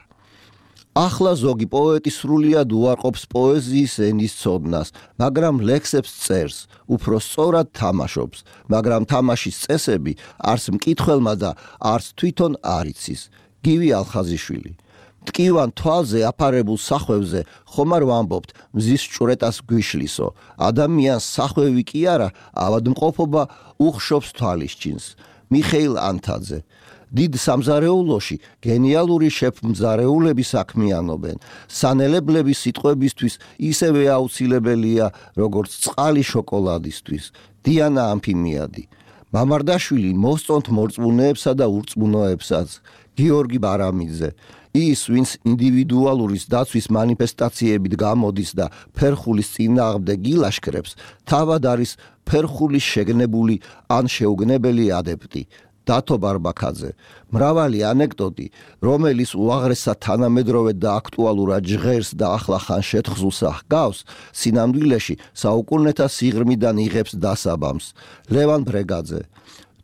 ახლა ზოგი პოეტი სრულიად უარყოფს პოეზიის ენის ცოდნას, მაგრამ ლექსებს წერს, უფრო სწორად თამაშობს, მაგრამ თამაშის წესები არც მკითხველმა და არც თვითონ არ იცის. გივი ალხაზიშვილი. მტკივან თვალზე აფარებულ სახვევზე ხომ არ ვამბობთ მზის ჭვრეტას გვიშლისო. ადამიანს სახვევი კი არა, ავადმყოფობა უხშობს თვალისჩინს. მიხეილ ანთაძე. დიდ სამზარეულოში გენიალური შეფმზარეულები საქმიანობენ. სანელებლები სიტყვებისთვის ისევე აუცილებელია, როგორც წყალი შოკოლადისთვის. დიანა ამფიმიადი. მამარდაშვილი მოსწონთ მორწმუნეებსა და ურწმუნოებსაც. გიორგი ბარამიძე. ის, ვინც ინდივიდუალურის დაცვის მანიფესტაციებით გამოდის და ფერხულის წინააღმდეგ ილაშქრებს, თავად არის ფერხულის შეგნებული ან შეუგნებელი ადეპტი. დათო ბარბაქაძე. მრავალი ანეკდოტი, რომელიც უაღრესად თანამედროვე და აქტუალურად ჟღერს და ახლახან შეთხზულს ჰგავს, სინამდვილეში საუკუნეთა სიღრმიდან იღებს დასაბამს. ლევან ბრეგაძე.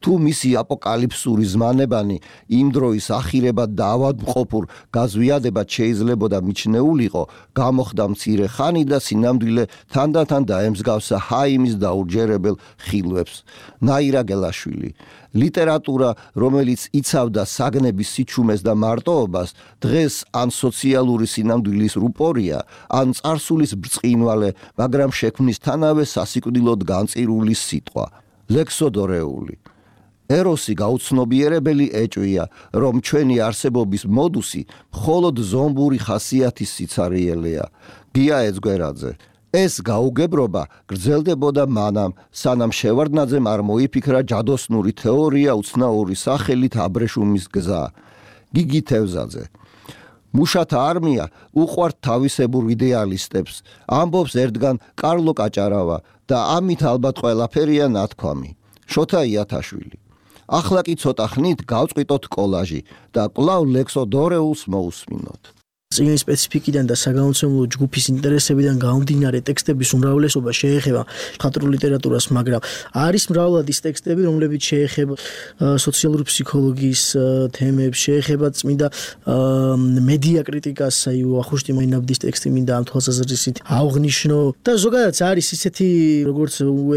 თუ მისი აპოკალიფსური ზმანებანი იმ დროის ახირებად და ავადმყოფურ გაზვიადებად შეიძლებოდა მიჩნეულიყო, გამოხდა მცირე ხანი და სინამდვილე თანდათან დაემსგავსა ჰაიმის დაურჯერებელ ხილვებს. ნაირა გელაშვილი. ლიტერატურა, რომელიც იცავდა საგნების სიჩუმეს და მარტოობას, დღეს ან სოციალური სინამდვილის რუპორია, ან წარსულის ბრწყინვალე, მაგრამ შექმნისთანავე სასიკვდილოდ განწირული სიტყვა. ლექსოდორეული. ეროსი გაუცნობიერებელი ეჭვია, რომ ჩვენი არსებობის მოდუსი მხოლოდ ზომბური ხასიათის სიცარიელეა. გია ეძგვერაძე. ეს გაუგებრობა გრძელდებოდა მანამ, სანამ შევარდნაძემ არ მოიფიქრა ჯადოსნური თეორია უცნაური სახელით აბრეშუმის გზა. გიგი თევზაძე. მუშათა არმია უყვართ თავისებურ იდეალისტებს, ამბობს ერთგან კარლო კაჭარავა და ამით ალბათ ყველაფერია ნათქვამი. შოთა იათაშვილი. ახლა კი ცოტა ხნით გავწყვიტოთ კოლაჟი და კვლავ ლექსოდორეულს მოусმინოთ. წინის სპეციფიკიდან და საგამომცემლო ჯგუფის ინტერესებიდან გამომდინარე ტექსტების უმრავლესობა შეეხება მხატვრულ ლიტერატურას, მაგრამ არის მრავლად ის ტექსტები, რომლებიც შეეხება სოციალური ფსიქოლოგიის თემებს, შეეხება წმინდა მედია კრიტიკას, აი ვახუშტი მაინაბდის ტექსტი მინდა ამ თვალსაზრისით ავღნიშნო და ზოგადად არის ისეთი, როგორც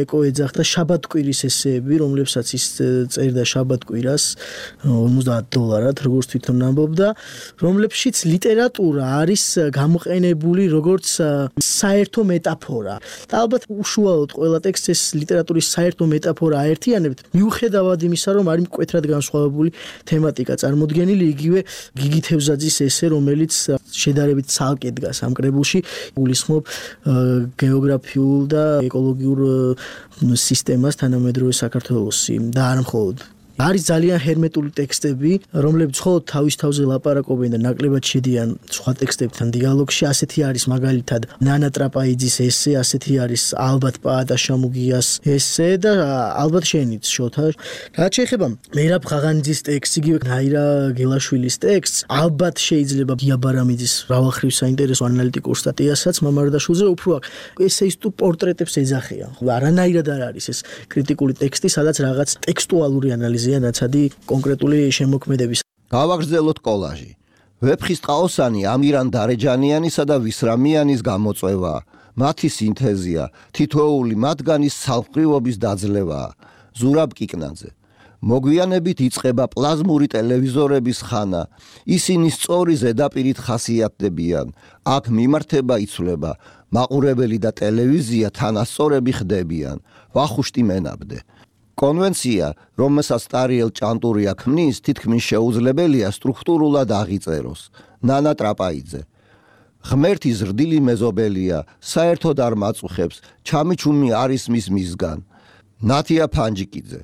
ეკო ეძახდა შაბათკვირის ესეები, რომლებსაც ის წერდა შაბათკვირას ორმოცდაათ დოლარად, როგორც თვითონ ამბობდა, რომლებშიც ლიტერატურა არის გამოყენებული როგორც საერთო მეტაფორა. და ალბათ უშუალოდ ყველა ტექსტს ეს ლიტერატურის საერთო მეტაფორა აერთიანებთ, მიუხედავად იმისა, რომ არის მკვეთრად განსხვავებული თემატიკა წარმოდგენილი, იგივე გიგი თევზაძის ესე, რომელიც შედარებით ცალკე დგას ამ კრებულში, გულისხმობ გეოგრაფიულ და ეკოლოგიურ სისტემას თანამედროვე საქართველოსი და არ მხოლოდ. არის ძალიან ჰერმეტული ტექსტები, რომლებიც მხოლოდ თავის თავზე ლაპარაკობენ და ნაკლებად შედიან სხვა ტექსტებთან დიალოგში. ასეთი არის მაგალითად ნანა ტრაპაიძის ესე, ასეთი არის ალბათ პაატა შამუგიას ესე და ალბათ შენიც შოთა. რაც შეეხება მერაბ ღაღანიძის ტექსტს, იგივე ნაირა გელაშვილის ტექსტს, ალბათ შეიძლება გია ბარამიძის მრავალხრივ საინტერესო ანალიტიკურ სტატიასაც მამარდაშვილზე უფრო აქ ესეისტურ პორტრეტებს ეძახიან. არანაირად არ არის ეს კრიტიკული ტექსტი, სადაც რაღაც ტექსტუალური ანალიზი ნაცადი კონკრეტული შემოქმედების. გავაგრძელოთ კოლაჟი. ვეფხისტყაოსანი ამირან დარეჯანიანისა და ვისრამიანის გამოწვევაა. მათი სინთეზია, თითოეული მათგანის სალყრივობის დაძლევაა. ზურაბ კიკნაძე. მოგვიანებით იწყება პლაზმური ტელევიზორების ხანა. ისინი სწორი ზედაპირით ხასიათდებიან. აქ მიმართება იცვლება. მაყურებელი და ტელევიზია თანასწორები ხდებიან. ვახუშტი მენაბდე. კონვენცია, რომელსაც ტარიელ ჭანტურია ქმნის, თითქმის შეუძლებელია სტრუქტურულად აღიწეროს. ნანა ტრაპაიძე. ღმერთი ზრდილი მეზობელია, საერთოდ არ მაწუხებს, ჩამიჩუმი არის მის მისგან. ნათია ფანჯიკიძე.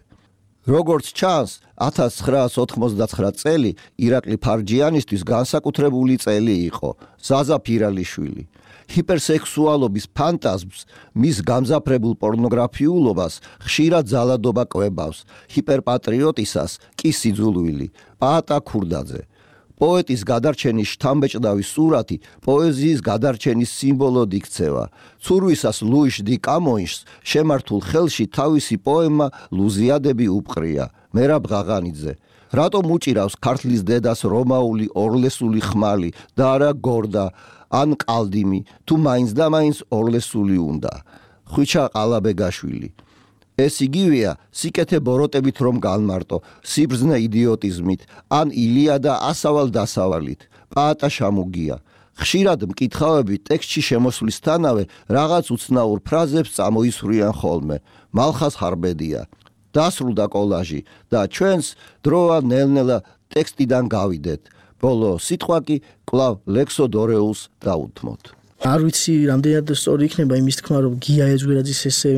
როგორც ჩანს, ათას ცხრაას ოთხმოცდაცხრა წელი ირაკლი ფარჯიანისთვის განსაკუთრებული წელი იყო. ზაზა ფირალიშვილი. ჰიპერსექსუალობის ფანტაზმს, მის გამზაფრებულ პორნოგრაფიულობას ხშირად ძალადობა კვებავს, ჰიპერპატრიოტისას კი სიძულვილი. პაატა ქურდაძე. პოეტის გადარჩენის შთამბეჭდავი სურათი პოეზიის გადარჩენის სიმბოლოდ იქცევა. ცურვისას ლუიშ დი კამოიშს შემართულ ხელში თავისი პოემა ლუზიადები უპყრია. მერაბ ღაღანიძე. რატომ უჭირავს ქართლის დედას რომაული ორლესული ხმალი და არა გორდა ან ყალდიმი, თუ მაინც და მაინც ორლესული უნდა. ხვიჩა ყალაბეგაშვილი. ეს იგივეა სიკეთე ბოროტებით რომ განმარტო, სიბრძნე იდიოტიზმით, ან ილიადა ასავალ დასავალით. პაატა შამუგია. ხშირად მკითხავები ტექსტში შემოსვლისთანავე რაღაც უცნაურ ფრაზებს წამოისვრიან ხოლმე. მალხას ხარბედია. დასრულდა კოლაჟი და ჩვენს დროა ნელ-ნელა ტექსტიდან გავიდეთ. ბოლო სიტყვა კი კვლავ ლექსოდორეულს დაუთმოთ. არ ვიცი რამდენად სწორი იქნება იმის თქმა რომ გია ეძვერაძის ესე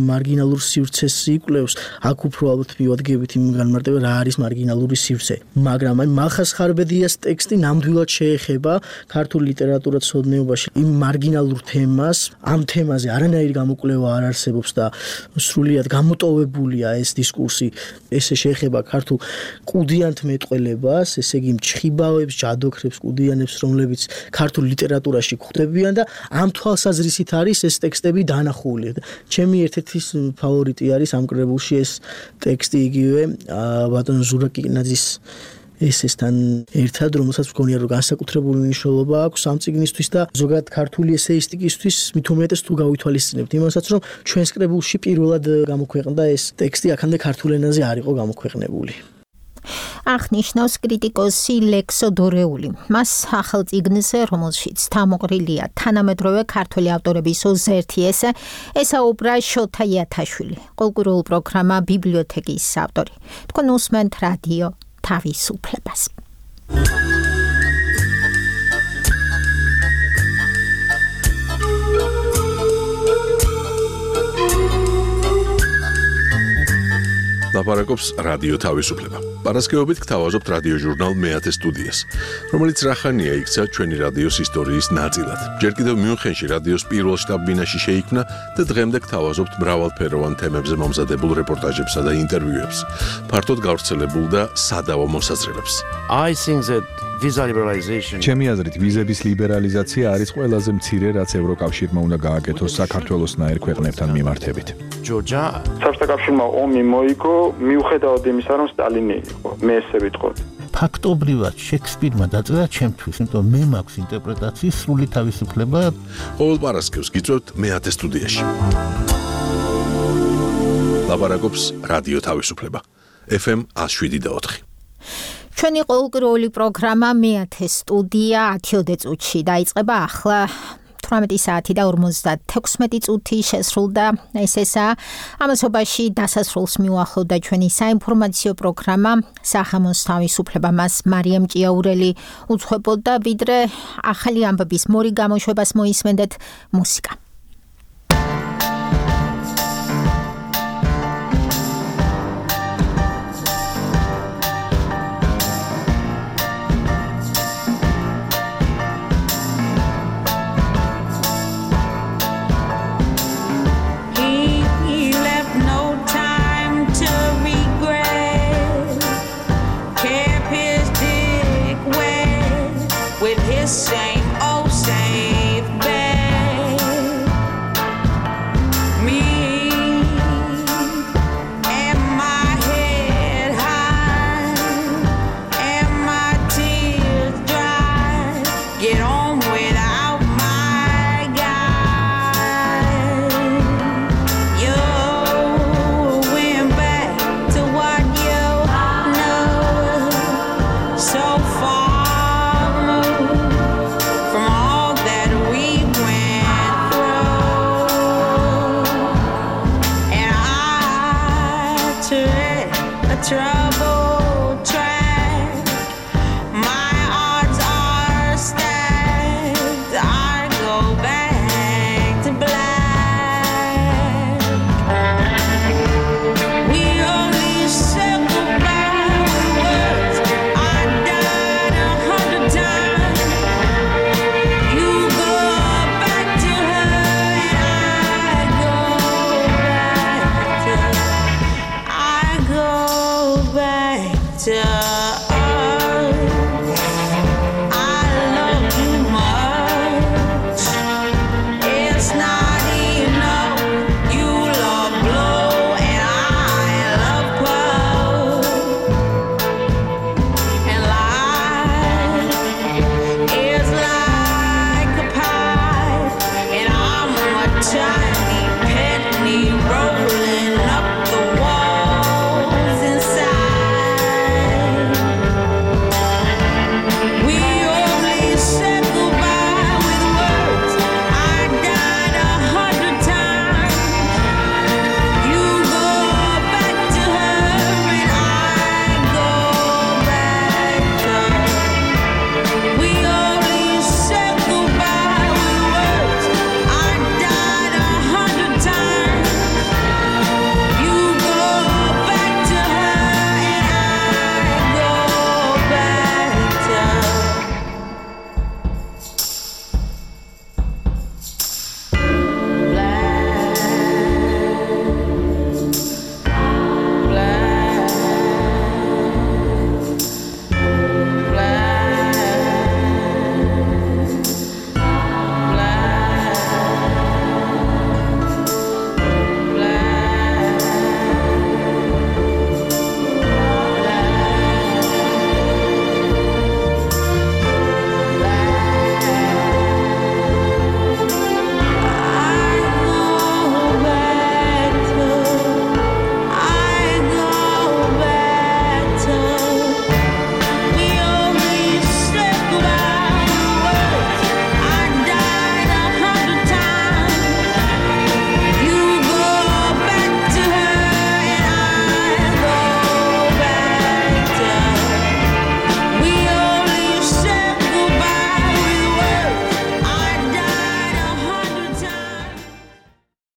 მარგინალურ სივრცეს იკვლევს აქ უფრო ალბათ მივადგებით იმ განმარტება რა არის მარგინალური სივრცე მაგრამ აი მალხას ხარბედიას ტექსტი ნამდვილად შეეხება ქართულ ლიტერატურათმცოდნეობაში იმ მარგინალურ თემას ამ თემაზე არანაირი გამოკვლევა არ არსებობს და სრულიად გამოტოვებულია ეს დისკურსი ესე შეეხება ქართულ კუდიანთ მეტყველებას ესე იგი მჩხიბავებს ჯადოქრებს კუდიანებს რომლებიც ქართულ ლიტერატურაში გვხვდებიან და ამ თვალსაზრისით არის ეს ტექსტები დანახული. ჩემი ერთ-ერთი ფავორიტი არის ამ კრებულში ეს ტექსტი იგივე ბატონ ზურაკინაძის ესესთან ერთად, რომელსაც მგონია რომ განსაკუთრებული მნიშვნელობა აქვს ამ წიგნისთვის და ზოგადად ქართული ესეისტიკისთვის მით უმეტეს თუ გავითვალისწინებთ იმასაც რომ ჩვენს კრებულში პირველად გამოქვეყნდა ეს ტექსტი აქამდე ქართულ ენაზე არ იყო გამოქვეყნებული. აღნიშნავს კრიტიკოსი ლექსო დორეული. მას ახალ წიგნზე, რომელშიც თამოყრილია თანამედროვე ქართველი ავტორების ოზერთი ესე, ესაუბრა შოთა იათაშვილი, კულტურულ პროგრამა ბიბლიოთეკის ავტორი. თქვენ უსმენთ რადიო თავისუფლებას. ლაპარაკობს რადიო თავისუფლება. პარასკევობით გთავაზობთ რადიო ჟურნალ მეათე სტუდიას, რომელიც რახანია იქცა ჩვენი რადიოს ისტორიის ნაწილად. ჯერ კიდევ მიუნხენში რადიოს პირველ შტაბ-ბინაში შეიქმნა და დღემდე გთავაზობთ მრავალფეროვან თემებზე მომზადებულ რეპორტაჟებსა და ინტერვიუებს, ფართოდ გავრცელებულ და სადავო მოსაზრებებს. I think that visa liberalization ჩემი აზრით ვიზების ლიბერალიზაცია არის ყველაზე მცირე რაც ევროკავშირმა უნდა გააკეთოს საქართველოსნაირ ქვეყნებთან მიმართებით. ჯორჯა საბჭოთა კავშირმა ომი მოიგო მიუხედავად იმისა რომ სტალინი იყო მე ესე ვიტყოდ ფაქტობრივად შექსპირმა დაწერა ჩემთვის იმიტომ მე მაქვს ინტერპრეტაციის სრული თავისუფლება ყოველ პარასკევს გიწევთ მეათე სტუდიაში ლაპარაკობს რადიო თავისუფლება ეფ ემ one oh seven point four ჩვენი ყოველკვირეული პროგრამა მეათე სტუდია ათიოდე წუთში დაიწყება ახლა თვრამეტი საათი და ორმოცდათექვსმეტი წუთი შესრულდა ეს ესაა ამასობაში დასასრულს მიუახლოვდა ჩვენი საინფორმაციო პროგრამა სახამოს თავისუფლება მას მარიამ ჭიაურელი უძღვებოდა ვიდრე ახალი ამბების მორი გამოშვებას მოისმენდეთ მუსიკა Same old safe bed. Me and my head high and my tears dry. Get on without my guy. You went back to what you know so far. Trouble track. My odds are stacked. I go back to black. We only said goodbye with words. I died a hundred times. You go back to her and I go back to I go back to us. I love you much. It's not enough. You love blow and I love puff. And life is like a pie, and I'm a child.